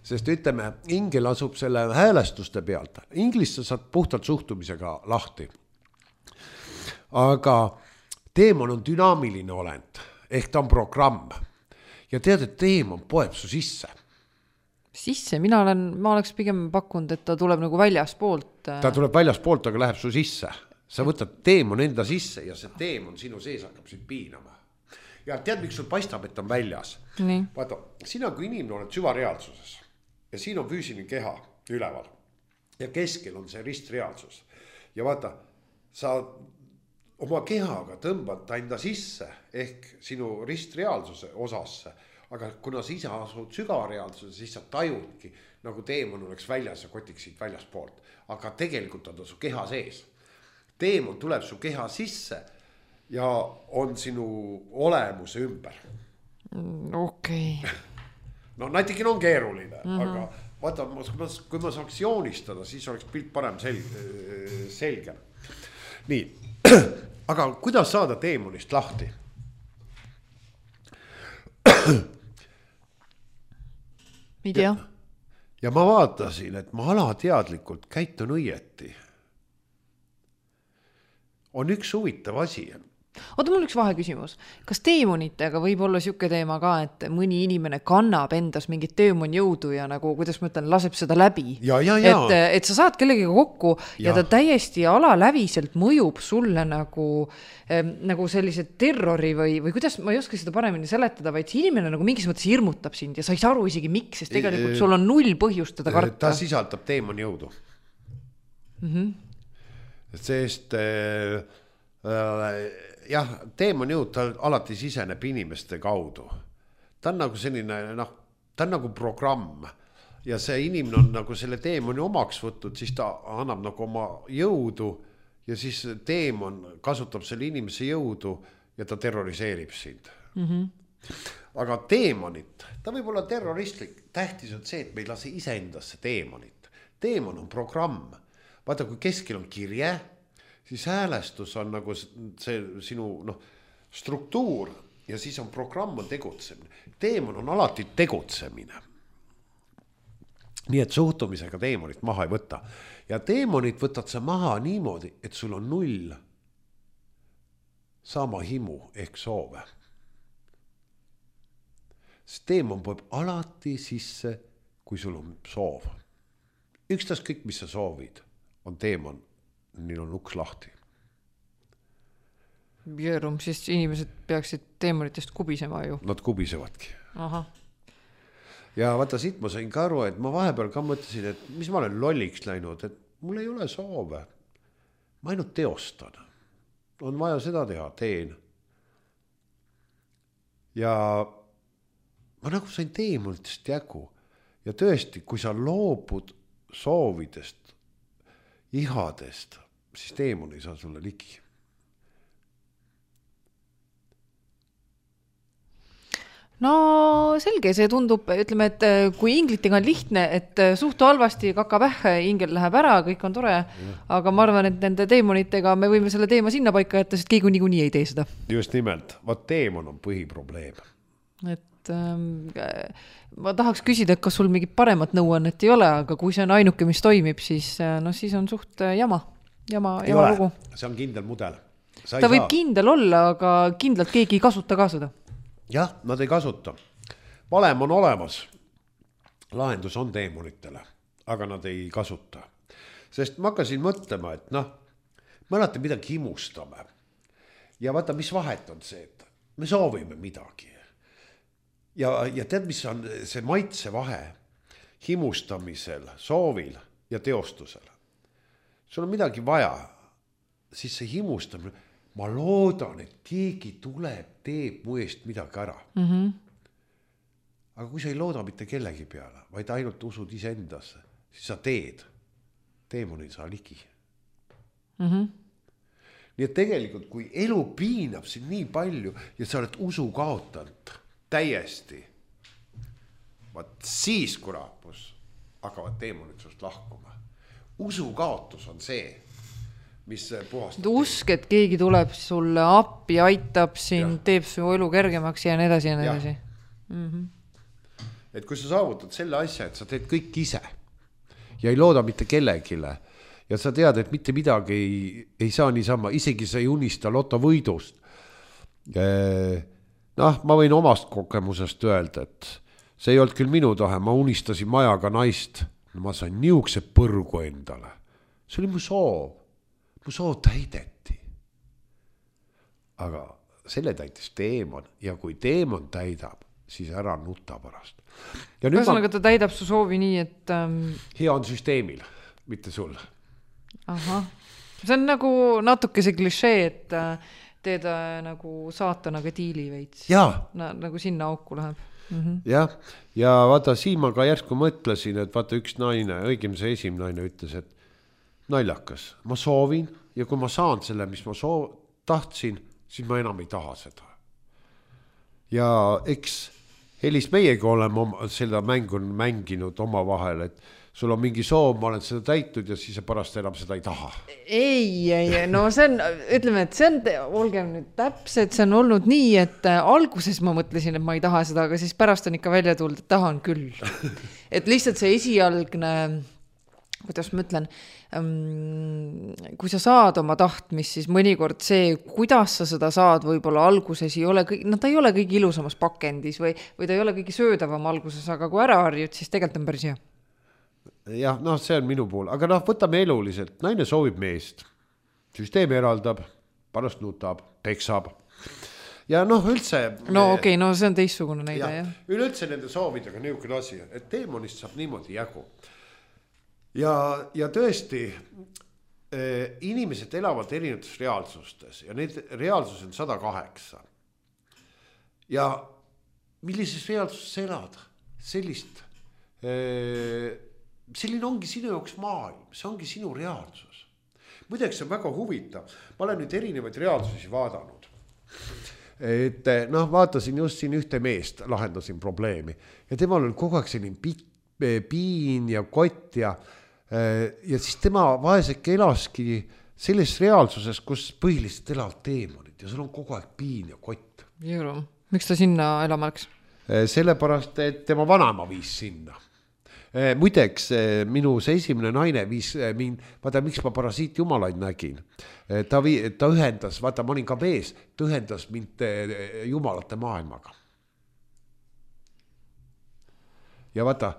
sest ütleme, ingel asub selle häälestuste pealt. Inglis sa saad puhtalt suhtumisega lahti. Aga teemon on dünaamiline olend, ehk ta on programm. Ja tead, et teemon poeb su sisse. Sisse? Ma oleks pigem pakkunud, et ta tuleb nagu väljaspoolt. Ta tuleb väljaspoolt, aga läheb su sisse. Sa võtad teemon enda sisse ja see teemon sinu sees hakkab sind piinama. ja tead, miks sul paistab, et on väljas? Vaata, sina kui inimene oled süvareaalsuses ja siin on füüsiline keha üleval ja keskel on see ristreaalsus. Ja vaata, sa oma kehaga tõmbad ta enda sisse ehk sinu ristreaalsuse osasse, aga kuna sa ise asud sügareaalsuse, siis sa tajudki, nagu teemon oleks väljas ja kotiksid väljas poolt, aga tegelikult on ta su keha sees. Teemon tuleb su keha sisse ja on sinu olemuse ümber. Okei. No natikene on keeruline, aga vaata, kui ma saaks joonistada, siis oleks pilt parem selge. Nii, aga kuidas saada teemonist lahti? Ei tea. Ja ma vaatasin, et ma alateadlikult käitun õieti. On üks huvitav asi. Oota, mul üks vaheküsimus. Kas teemonitega võib olla siuke teema ka, et mõni inimene kannab endas mingit teemon jõudu ja nagu, kuidas ma ütlen, laseb seda läbi? Ja. Et sa saad kellegiga kokku ja ta täiesti alaläviselt mõjub sulle nagu sellise terrori või kuidas, ma ei oska seda paremini seletada, vaid see inimene nagu mingis mõttes hirmutab sind ja sa ei saa aru isegi miks, sest tegelikult sul on null põhjust teda karta. Ta sisaldab teemon jõudu. Sest jah, teemon jõud, ta alati siseneb inimeste kaudu. Ta on nagu selline, ta on nagu programm ja see inimene on nagu selle teemoni omaks võtnud, siis ta annab nagu oma jõudu ja siis teemon kasutab selle inimese jõudu ja ta terroriseerib sind. Aga teemonit, ta võib olla terroristlik, tähtis on see, et me ei lase iseendasse teemonit. Teemon on programm. Vaata, kui keskel on kirje, siis häälestus on nagu see sinu struktuur ja siis on programm on tegutsemine. Teemon on alati tegutsemine. Nii et suhtumisega teemonit maha ei võta. Ja teemonit võtad sa maha niimoodi, et sul on null sama himu ehk soove. See teemon poeb alati sisse, kui sul on soov. Ükstas kõik, mis sa soovid, on teemon. Neil on uks lahti. Jõerum, siis inimesed peaksid teemonitest kubisema ju. Nad kubisevadki. Aha. Ja vaata, siit ma sain ka aru, et ma vahepeal ka mõtlesin, et mis ma olen lolliks läinud, et mul ei ole soove. Ma ainult teostan. On vaja seda teha, teen. Ja ma nagu sain teemonitest jagu. Ja tõesti, kui sa loobud soovidest, ihadest, siis teemon ei saa sulle ligi. No selge, see tundub, ütleme, et kui inglitega on lihtne, et suhtu halvasti, kaka pähe, ingel läheb ära, kõik on tore, aga ma arvan, et nende teemonitega me võime selle teema sinna paika jätta, sest keegi niikuinii ei tee seda. Just nimelt, vaat teemon on põhiprobleem. Et ma tahaks küsida, et kas sul mingit paremat nõuannet ei ole, aga kui see on ainuke, mis toimib, siis on suht jama lugu. See on kindel mudel. Ta võib kindel olla, aga kindlalt keegi ei kasuta ka seda. Jah, nad ei kasuta. Valem on olemas. Lahendus on teemonitele, aga nad ei kasuta. Sest ma hakkasin mõtlema, et me alati midagi himustame. Ja vaata, mis vahet on see, et me soovime midagi. Ja tead, mis on see maitse vahe himustamisel, soovil ja teostusel. Sul on midagi vaja, siis see himustamine, ma loodan, et keegi tuleb, teeb mu eest midagi ära. Aga kui sa ei looda mitte kellegi peale, vaid ainult usud iseendasse, siis sa teed. Teemon ei saa ligi. Nii et tegelikult, kui elu piinab sind nii palju ja sa oled usu kaotanud, täiesti. Vaat siis, kui raapus, hakkavad teemonid sust lahkuma. Usu kaotus on see, mis puhastab. Usk, et keegi tuleb sulle appi, aitab sind, teeb su elu kergemaks ja nii edasi ja nii edasi. Et kui sa saavutad selle asja, et sa teed kõik ise ja ei looda mitte kellegile ja sa tead, et mitte midagi ei saa niisama, isegi sa ei unista lotovõidust. Ma võin omast kogemusest öelda, et see ei olnud küll minu tahe, ma unistasin majaga naist, ma sain niukse põrgu endale. See oli mu soov täideti. Aga selle täitis teemon ja kui teemon täidab, siis ära nuta pärast. Ühesõnaga ta täidab su soovi nii, et... Hea on süsteemil, mitte sul. Ahah. See on nagu natuke see klišee, et teed nagu saatanaga diili veits. Nagu sinna auku läheb. Jah, ja vaata, siin ma ka järsku mõtlesin, et vaata üks naine, õigem see esimene naine ütles, et naljakas, ma soovin ja kui ma saan selle, mis ma tahtsin, siis ma enam ei taha seda. Ja eks Helis meiega oleme seda mängu mänginud oma vahel, et sul on mingi soov, ma olen seda täitud ja siis pärast enam seda ei taha. Ei, no see on, ütleme, et see on, olgem nüüd täpselt, see on olnud nii, et alguses ma mõtlesin, et ma ei taha seda, aga siis pärast on ikka välja tulnud, et tahan küll. Et lihtsalt see esialgne, kuidas ma ütlen, kui sa saad oma tahtmist, siis mõnikord see, kuidas sa seda saad, võib-olla alguses ei ole, ta ei ole kõige ilusamas pakendis või ta ei ole kõige söödavam alguses, aga kui ära harjud, siis tegelikult on päris hea. Jah, see on minu puhul, aga võtame eluliselt, naine soovib meest, süsteem eraldab, pärast nutab, peksab ja üldse... Okei, see on teistsugune näide, jah. Üleüldse nende soovidega niisugune asi, et teemonist saab niimoodi jagu. Ja tõesti, inimesed elavad erinevates reaalsustes ja need reaalsus on 108. Ja millises reaalsuses elad? Selline ongi sinu jaoks maailm, see ongi sinu reaalsus. Muideks on väga huvitav, ma olen nüüd erinevaid reaalsusi vaadanud. Et vaatasin just siin ühte meest, lahendasin probleemi ja temal on kogu aeg selline piin ja kott ja siis tema vaeseke elaski selles reaalsuses, kus põhiliselt elavad teemonid ja sul on kogu aeg piin ja kott. Jõru, miks ta sinna elama läks? Sellepärast, et tema vanaema viis sinna. Muideks, minu see esimene naine viis mind, vaata, miks ma parasiit jumalaid nägin. Ta ühendas, vaata, ma olin ka vees, ta ühendas mind jumalate maailmaga. Ja vaata,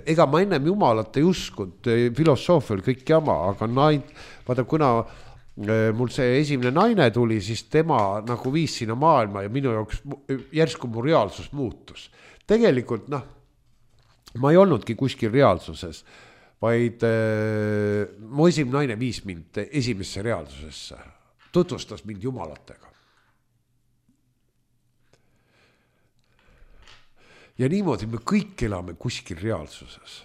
ega ma ennem jumalat ei uskunud, filosoofial kõik jama, aga vaata, kuna mul see esimene naine tuli, siis tema nagu viis sinna maailma ja minu jaoks järsku mu reaalsus muutus. Tegelikult, ma ei olnudki kuskil reaalsuses, vaid mu esimene naine viis mind esimesse reaalsusesse, tutvustas mind jumalatega. Ja niimoodi me kõik elame kuskil reaalsuses.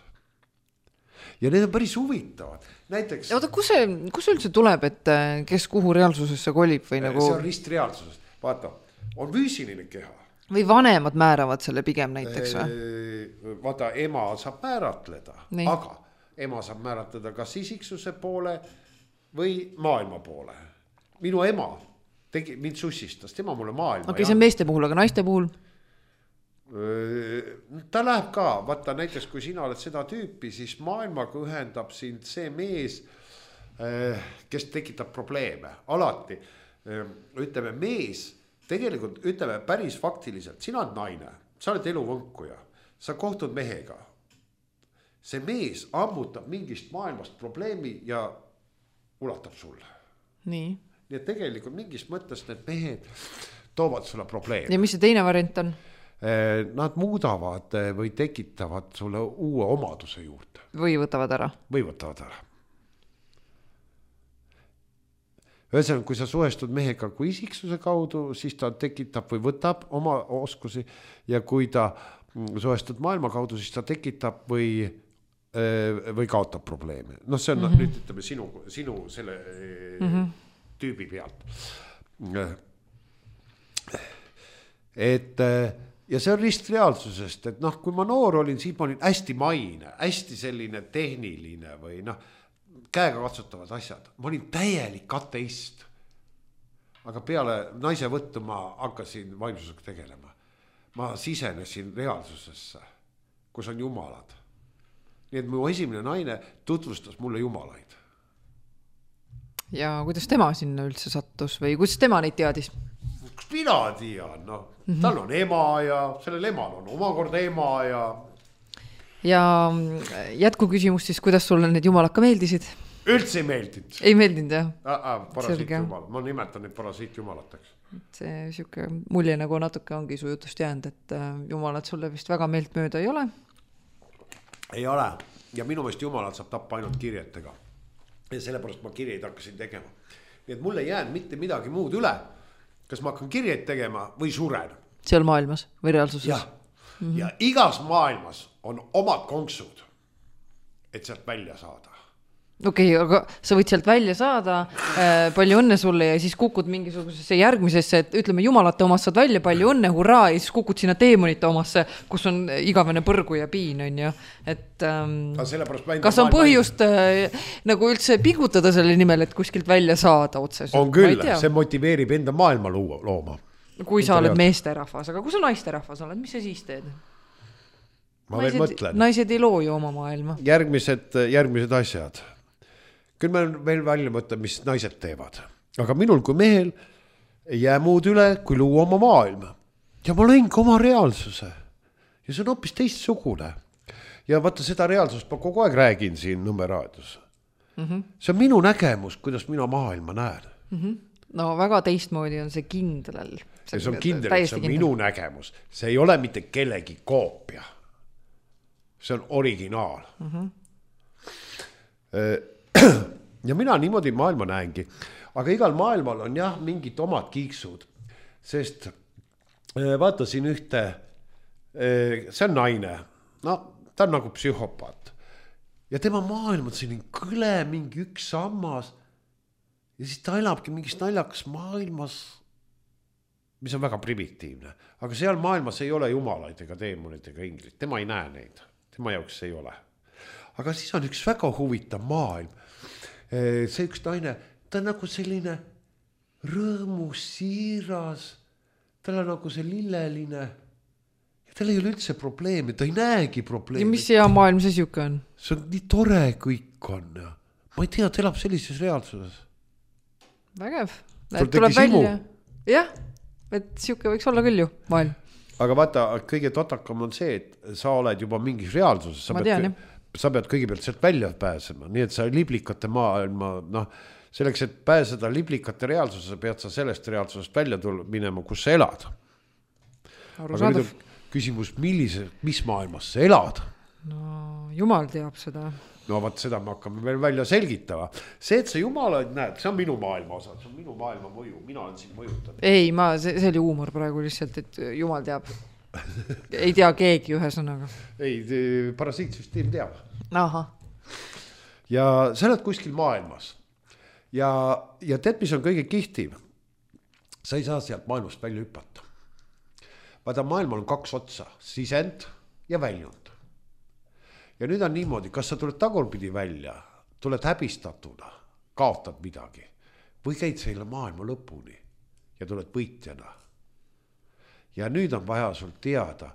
Ja need on päris huvitavad. Näiteks... Oota, kus üldse tuleb, et kes kuhu reaalsusesse kolib? Või nagu... See on ristreaalsuses. Vaata, on füüsiline keha. Või vanemad määravad selle pigem näiteks või? Vaata, ema saab määratleda, aga ema saab määratleda kas isiksuse poole või maailma poole. Minu ema mind sussistas, tema mulle maailma. Okei, see on meeste puhul, aga naiste puhul? Ta läheb ka, vaata näiteks kui sina oled seda tüüpi, siis maailmaga ühendab sind see mees, kes tekitab probleeme. Alati, ütleme mees, tegelikult ütleme päris faktiliselt, sina oled naine, sa oled eluvõnkuja, sa kohtud mehega. See mees ammutab mingist maailmast probleemi ja ulatab sulle. Nii et tegelikult mingis mõttes need mehed toovad sulle probleemi. Ja mis see teine variant on? Nad muudavad või tekitavad sulle uue omaduse juurde. Või võtavad ära. Ühesõnaga, kui sa suhestud mehega kui isiksuse kaudu, siis ta tekitab või võtab oma oskusi ja kui ta suhestud maailma kaudu, siis ta tekitab või kaotab probleeme. See on nüüd ütleme sinu selle tüübi pealt. Ja see on ristreaalsusest, et kui ma noor olin, siis ma olin hästi maine, hästi selline tehniline või käega katsutavad asjad. Ma olin täielik ateist. Aga peale naise võttu ma hakkasin vaimsusega tegelema. Ma sisenesin reaalsusesse, kus on jumalad. Nii et mu esimene naine tutvustas mulle jumalaid. Ja kuidas tema sinna üldse sattus või kuidas tema neid teadis? Mina tean, tal on ema ja sellel emal on omakorda ema ja... Ja jätku küsimus siis, kuidas sulle need jumalad ka meeldisid? Üldse ei meeldinud. Ei meeldinud, jah? Parasiitjumal, ma nimetan neid parasiitjumalateks. See siuke mulje nagu natuke ongi su jutust jäänud, et jumalad sulle vist väga meelt mööda ei ole. Ei ole. Ja minu meelest jumalad saab tappa ainult kirjetega. Ja sellepärast ma kirjeid hakkasin tegema. Nii et mulle ei jäänud mitte midagi muud üle. Kas ma hakkan kirjeid tegema või suren? Seal maailmas või reaalsuses? Ja, ja igas maailmas on omad konksud, et sealt välja saada. Okei, aga sa võid sealt välja saada, palju õnne sulle ja siis kukud mingisugusesse järgmisesse, et ütleme jumalate omast saad välja, palju õnne, hurraa, ja siis kukud sinna teemonite omasse, kus on igavene põrgu ja piin, on ju. Et kas on põhjust nagu üldse pingutada selle nimel, et kuskilt välja saada otseselt? On küll, see motiveerib enda maailma looma. Kui sa oled meesterahvas, aga kui sa naisterahvas oled, mis sa siis teed? Ma veel mõtlen. Naised ei loo ju oma maailma. Järgmised asjad. Küll me veel välja mõtlen, mis naised teevad. Aga minul kui mehel ei jää muud üle, kui luua oma maailma. Ja ma lõin ka oma reaalsuse. Ja see on hoopis teistsugune. Ja vaata seda reaalsust ma kogu aeg räägin siin Nõmme raadios. See on minu nägemus, kuidas mina maailma näen. No väga teistmoodi on see kindlal. See on kindel, see on minu nägemus. See ei ole mitte kellegi koopia. See on originaal. Ja mina niimoodi maailma näengi. Aga igal maailmal on jah mingid omad kiiksud. Sest vaatasin ühte, see on naine. No, ta on nagu psühhopaat. Ja tema maailm on selline kõle, mingi üks sammas. Ja siis ta elabki mingis naljakas maailmas, mis on väga primitiivne. Aga seal maailmas ei ole jumalaid ega teemonid ega inglid. Tema ei näe neid. Tema jaoks ei ole. Aga siis on üks väga huvitav maailm. See üks naine, ta on nagu selline rõõmus, siiras, tal on nagu see lilleline ja tal ei ole üldse probleemi, ta ei näegi probleemi. Ja mis hea maailm see siuke on? See on nii tore kõik on. Ma ei tea, ta elab sellises reaalsuses. Vägev. Tuleb välja. Jah, et siuke võiks olla küll ju maailm. Aga vaata, kõige totakam on see, et sa oled juba mingis reaalsuses. Ma tean, sa pead kõigepealt sealt välja pääsema, nii et sa liblikate maailma, selleks, et pääseda liblikate reaalsuses, pead sa sellest reaalsusest välja minema, kus sa elad. Aga nüüd on küsimus, mis maailmas sa elad? No, jumal teab seda. No vaat seda me hakkame veel välja selgitama. See, et sa jumalaid näed, see on minu maailma osa, see on minu maailma mõju, mina olen siin mõjutanud. Ei, see oli huumor praegu lihtsalt, et jumal teab. Ei tea keegi ühe sõnaga. Ei, parasiitsüsteem teab. Aha. Ja sa oled kuskil maailmas. Ja tead, mis on kõige kihtiv? Sa ei saa sealt maailmast välja hüpata. Vaata, maailmal on 2 otsa, sisend ja väljund. Ja nüüd on niimoodi, kas sa tuled tagurpidi välja, tuled häbistatuna, kaotad midagi või käid selle maailma lõpuni ja tuled võitjana. Ja nüüd on vaja sul teada,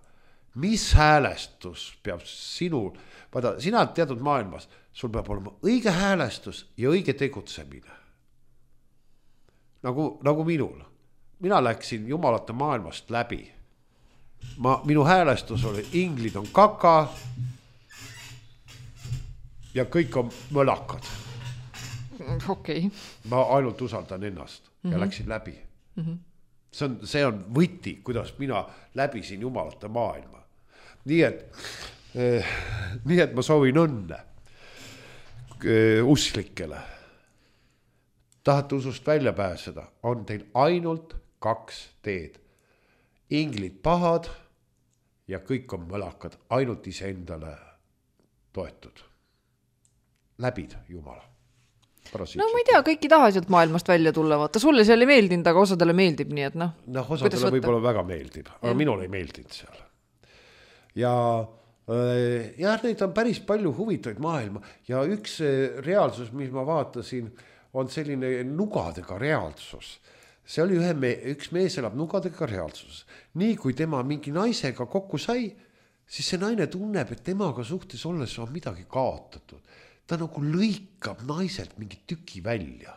mis häälestus peab sinul, vaata, sina oled teatud maailmas, sul peab olema õige häälestus ja õige tegutsemine. Nagu minul. Mina läksin jumalate maailmast läbi. Minu häälestus oli, inglid on kaka ja kõik on mõlakad. Okei. Ma ainult usaldan ennast ja läksin läbi. See on võti, kuidas mina läbisin jumalate maailma. Nii et ma soovin õnne usklikele. Tahate usust välja pääseda, on teil ainult 2 teed. Inglid pahad ja kõik on mõlakad, ainult iseendale toetud. Läbid Jumala. No ma ei tea, kõik ei taha sealt maailmast välja tulla, vaata, sulle seal ei meeldinud, aga osadele meeldib, nii et noh. Osadele võib-olla väga meeldib, aga minul ei meeldinud seal. Ja neid on päris palju huvitavaid maailma ja üks reaalsus, mis ma vaatasin, on selline nugadega reaalsus. See oli üks mees elab nugadega reaalsus. Nii kui tema mingi naisega kokku sai, siis see naine tunneb, et temaga suhtes olles on midagi kaotatud. Ta nagu lõikab naiselt mingi tüki välja.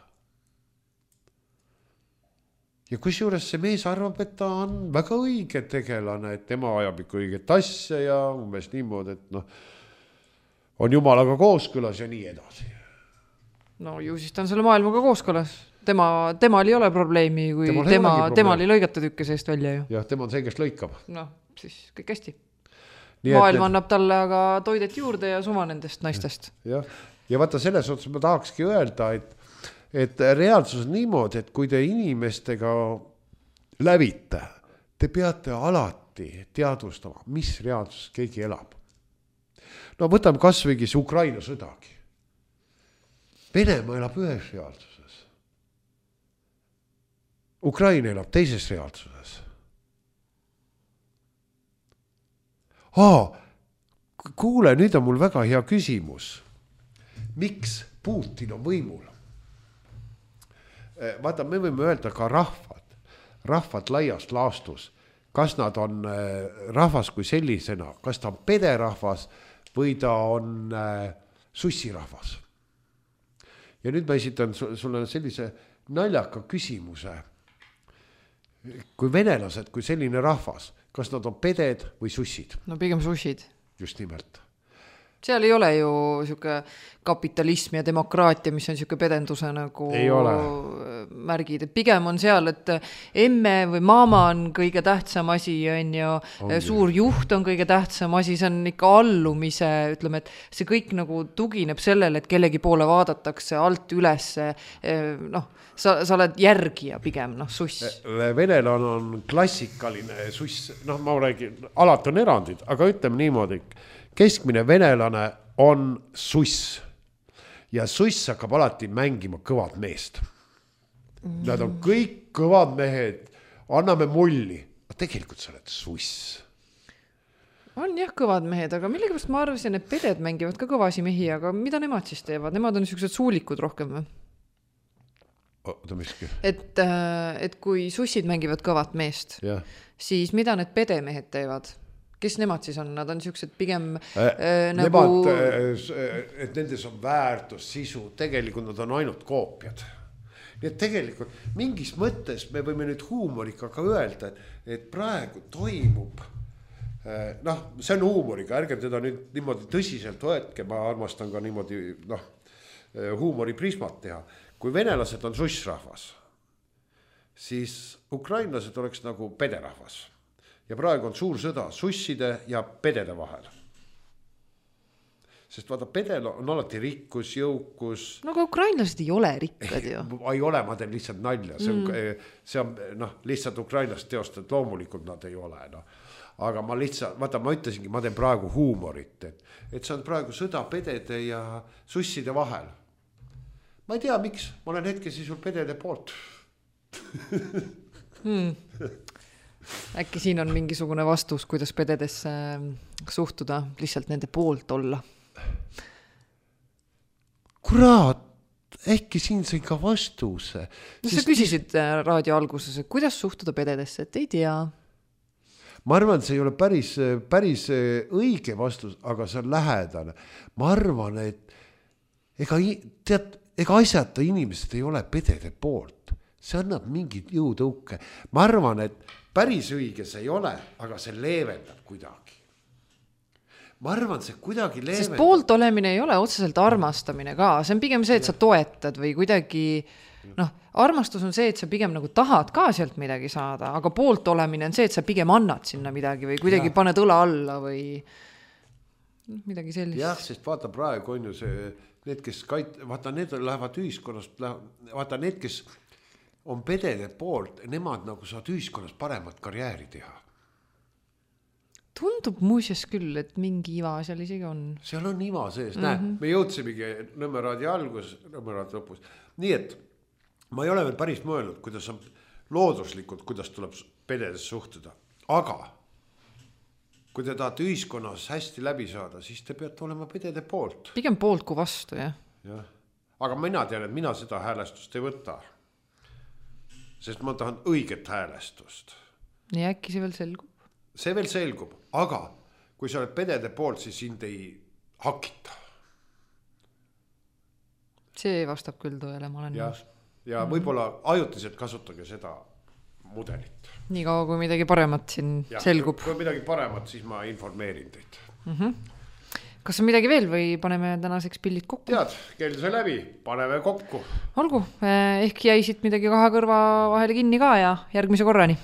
Ja kusjuures see mees arvab, et ta on väga õige tegelane, et tema ajab ikka õiget asja ja umbes niimoodi, et on jumalaga kooskõlas ja nii edasi. No ju siis ta on selle maailmaga kooskõlas. Temal ei ole probleemi, kui temal ei lõigata tükke seest välja ju. Jah, tema on see, kes lõikab. No, siis kõik hästi. Maailm annab talle aga toidet juurde ja suva nendest naistest. Ja vaata selles otsas ma tahakski öelda, et reaalsus on niimoodi, et kui te inimestega lävite, te peate alati teadvustama, mis reaalsus keegi elab. No võtame kasvõigi see Ukraina sõdagi. Venemaa elab ühes reaalsuses. Ukraina elab teises reaalsuses. Kuule, nüüd on mul väga hea küsimus. Miks Putin on võimul? Vaata, me võime öelda ka rahvad laias laastus, kas nad on rahvas kui sellisena, kas ta on pederahvas või ta on sussirahvas. Ja nüüd ma esitan sulle sellise naljaka küsimuse. Kui venelased, kui selline rahvas, kas nad on peded või sussid? No pigem sussid. Just nimelt. Seal ei ole ju siuke kapitalism ja demokraatia, mis on siuke pedenduse nagu märgid. Et pigem on seal, et emme või maama on kõige tähtsam asi, suur juht on kõige tähtsam asi, see on ikka allumise, ütleme, et see kõik nagu tugineb sellele, et kellegi poole vaadatakse alt üles, sa oled järgija pigem, suss. Venelane on klassikaline suss, ma räägin, alati on erandid, aga ütleme niimoodi, keskmine venelane on suss ja suss hakkab alati mängima kõvad meest. Nad on kõik kõvad mehed, anname mulli. Tegelikult sa oled suss. On jah kõvad mehed, aga millegipärast ma arvasin, et peded mängivad ka kõvasi mehi, aga mida nemad siis teevad? Nemad on niisugused suulikud rohkem või? Et kui sussid mängivad kõvat meest, siis mida need pedemehed teevad? Kes nemad siis on? Nad on niisugused pigem nemad, et nendes on väärtus, sisu, tegelikult nad on ainult koopiad. Nii et tegelikult mingis mõttes me võime nüüd huumorika ka öelda, et praegu toimub, see on huumorika, ärge teda nüüd niimoodi tõsiselt võetke, ma armastan ka niimoodi huumoriprismat teha. Kui venelased on sussrahvas, siis ukrainlased oleks nagu pederahvas. Ja praegu on suur sõda susside ja pedede vahel. Sest vaata, pedel on alati rikkus, jõukus. No aga ukrainlased ei ole rikkad ju. Ei ole, ma teen lihtsalt nalja. See on lihtsalt ukrainlast teost, et loomulikult nad ei ole. Aga ma lihtsalt, vaata, ma ütlesingi, ma teen praegu huumorit, et see on praegu sõda pedede ja susside vahel. Ma ei tea, miks. Ma olen hetkesi sul pedede poolt. Äkki siin on mingisugune vastus, kuidas pededesse suhtuda, lihtsalt nende poolt olla. Kurat, äkki siin sai ka vastuse. Sa küsisid raadio alguses, et kuidas suhtuda pededesse, et ei tea. Ma arvan, see ei ole päris õige vastus, aga see on lähedane. Ma arvan, et ega asjata inimesed ei ole pedede poolt. See annab mingit jõutõuke. Ma arvan, et päris õige see ei ole, aga see leevendab kuidagi. Ma arvan, see kuidagi leevendab. Sest poolt olemine ei ole otseselt armastamine ka. See on pigem see, et sa toetad või kuidagi, armastus on see, et sa pigem nagu tahad ka sealt midagi saada, aga poolt olemine on see, et sa pigem annad sinna midagi või kuidagi paned õla alla või midagi sellist. Jah, sest vaata praegu on ju see, need, kes vaata, need lähevad ühiskonnast, vaata need, kes on pedede poolt, nemad nagu saad ühiskonnas paremat karjääri teha. Tundub muuseas küll, et mingi iva seal isegi on. Seal on iva sees, näe, me jõudsimegi Nõmmeraadi algus, Nõmmeraadi lõpus. Nii et ma ei ole veel päris mõelnud, kuidas on looduslikult, kuidas tuleb pededes suhtuda. Aga kui te tahate ühiskonnas hästi läbi saada, siis te peate olema pedede poolt. Pigem poolt kui vastu, jah. Aga mina tean, et mina seda häälestust ei võta. Sest ma tahan õiget häälestust. Nii äkki see veel selgub? See veel selgub, aga kui sa oled pedede poolt, siis sind ei hakita. See vastab küll tõele, ma olen nõus. Ja võib-olla ajutiselt kasutage seda mudelit. Nii kaua, kui midagi paremat siin selgub. Kui midagi paremat, siis ma informeerin teid. kas on midagi veel või paneme tänaseks pillid kokku? Tead, kell sai läbi, paneme kokku. Olgu, ehk jäi siit midagi kahe kõrva vahele kinni ka ja järgmise korrani.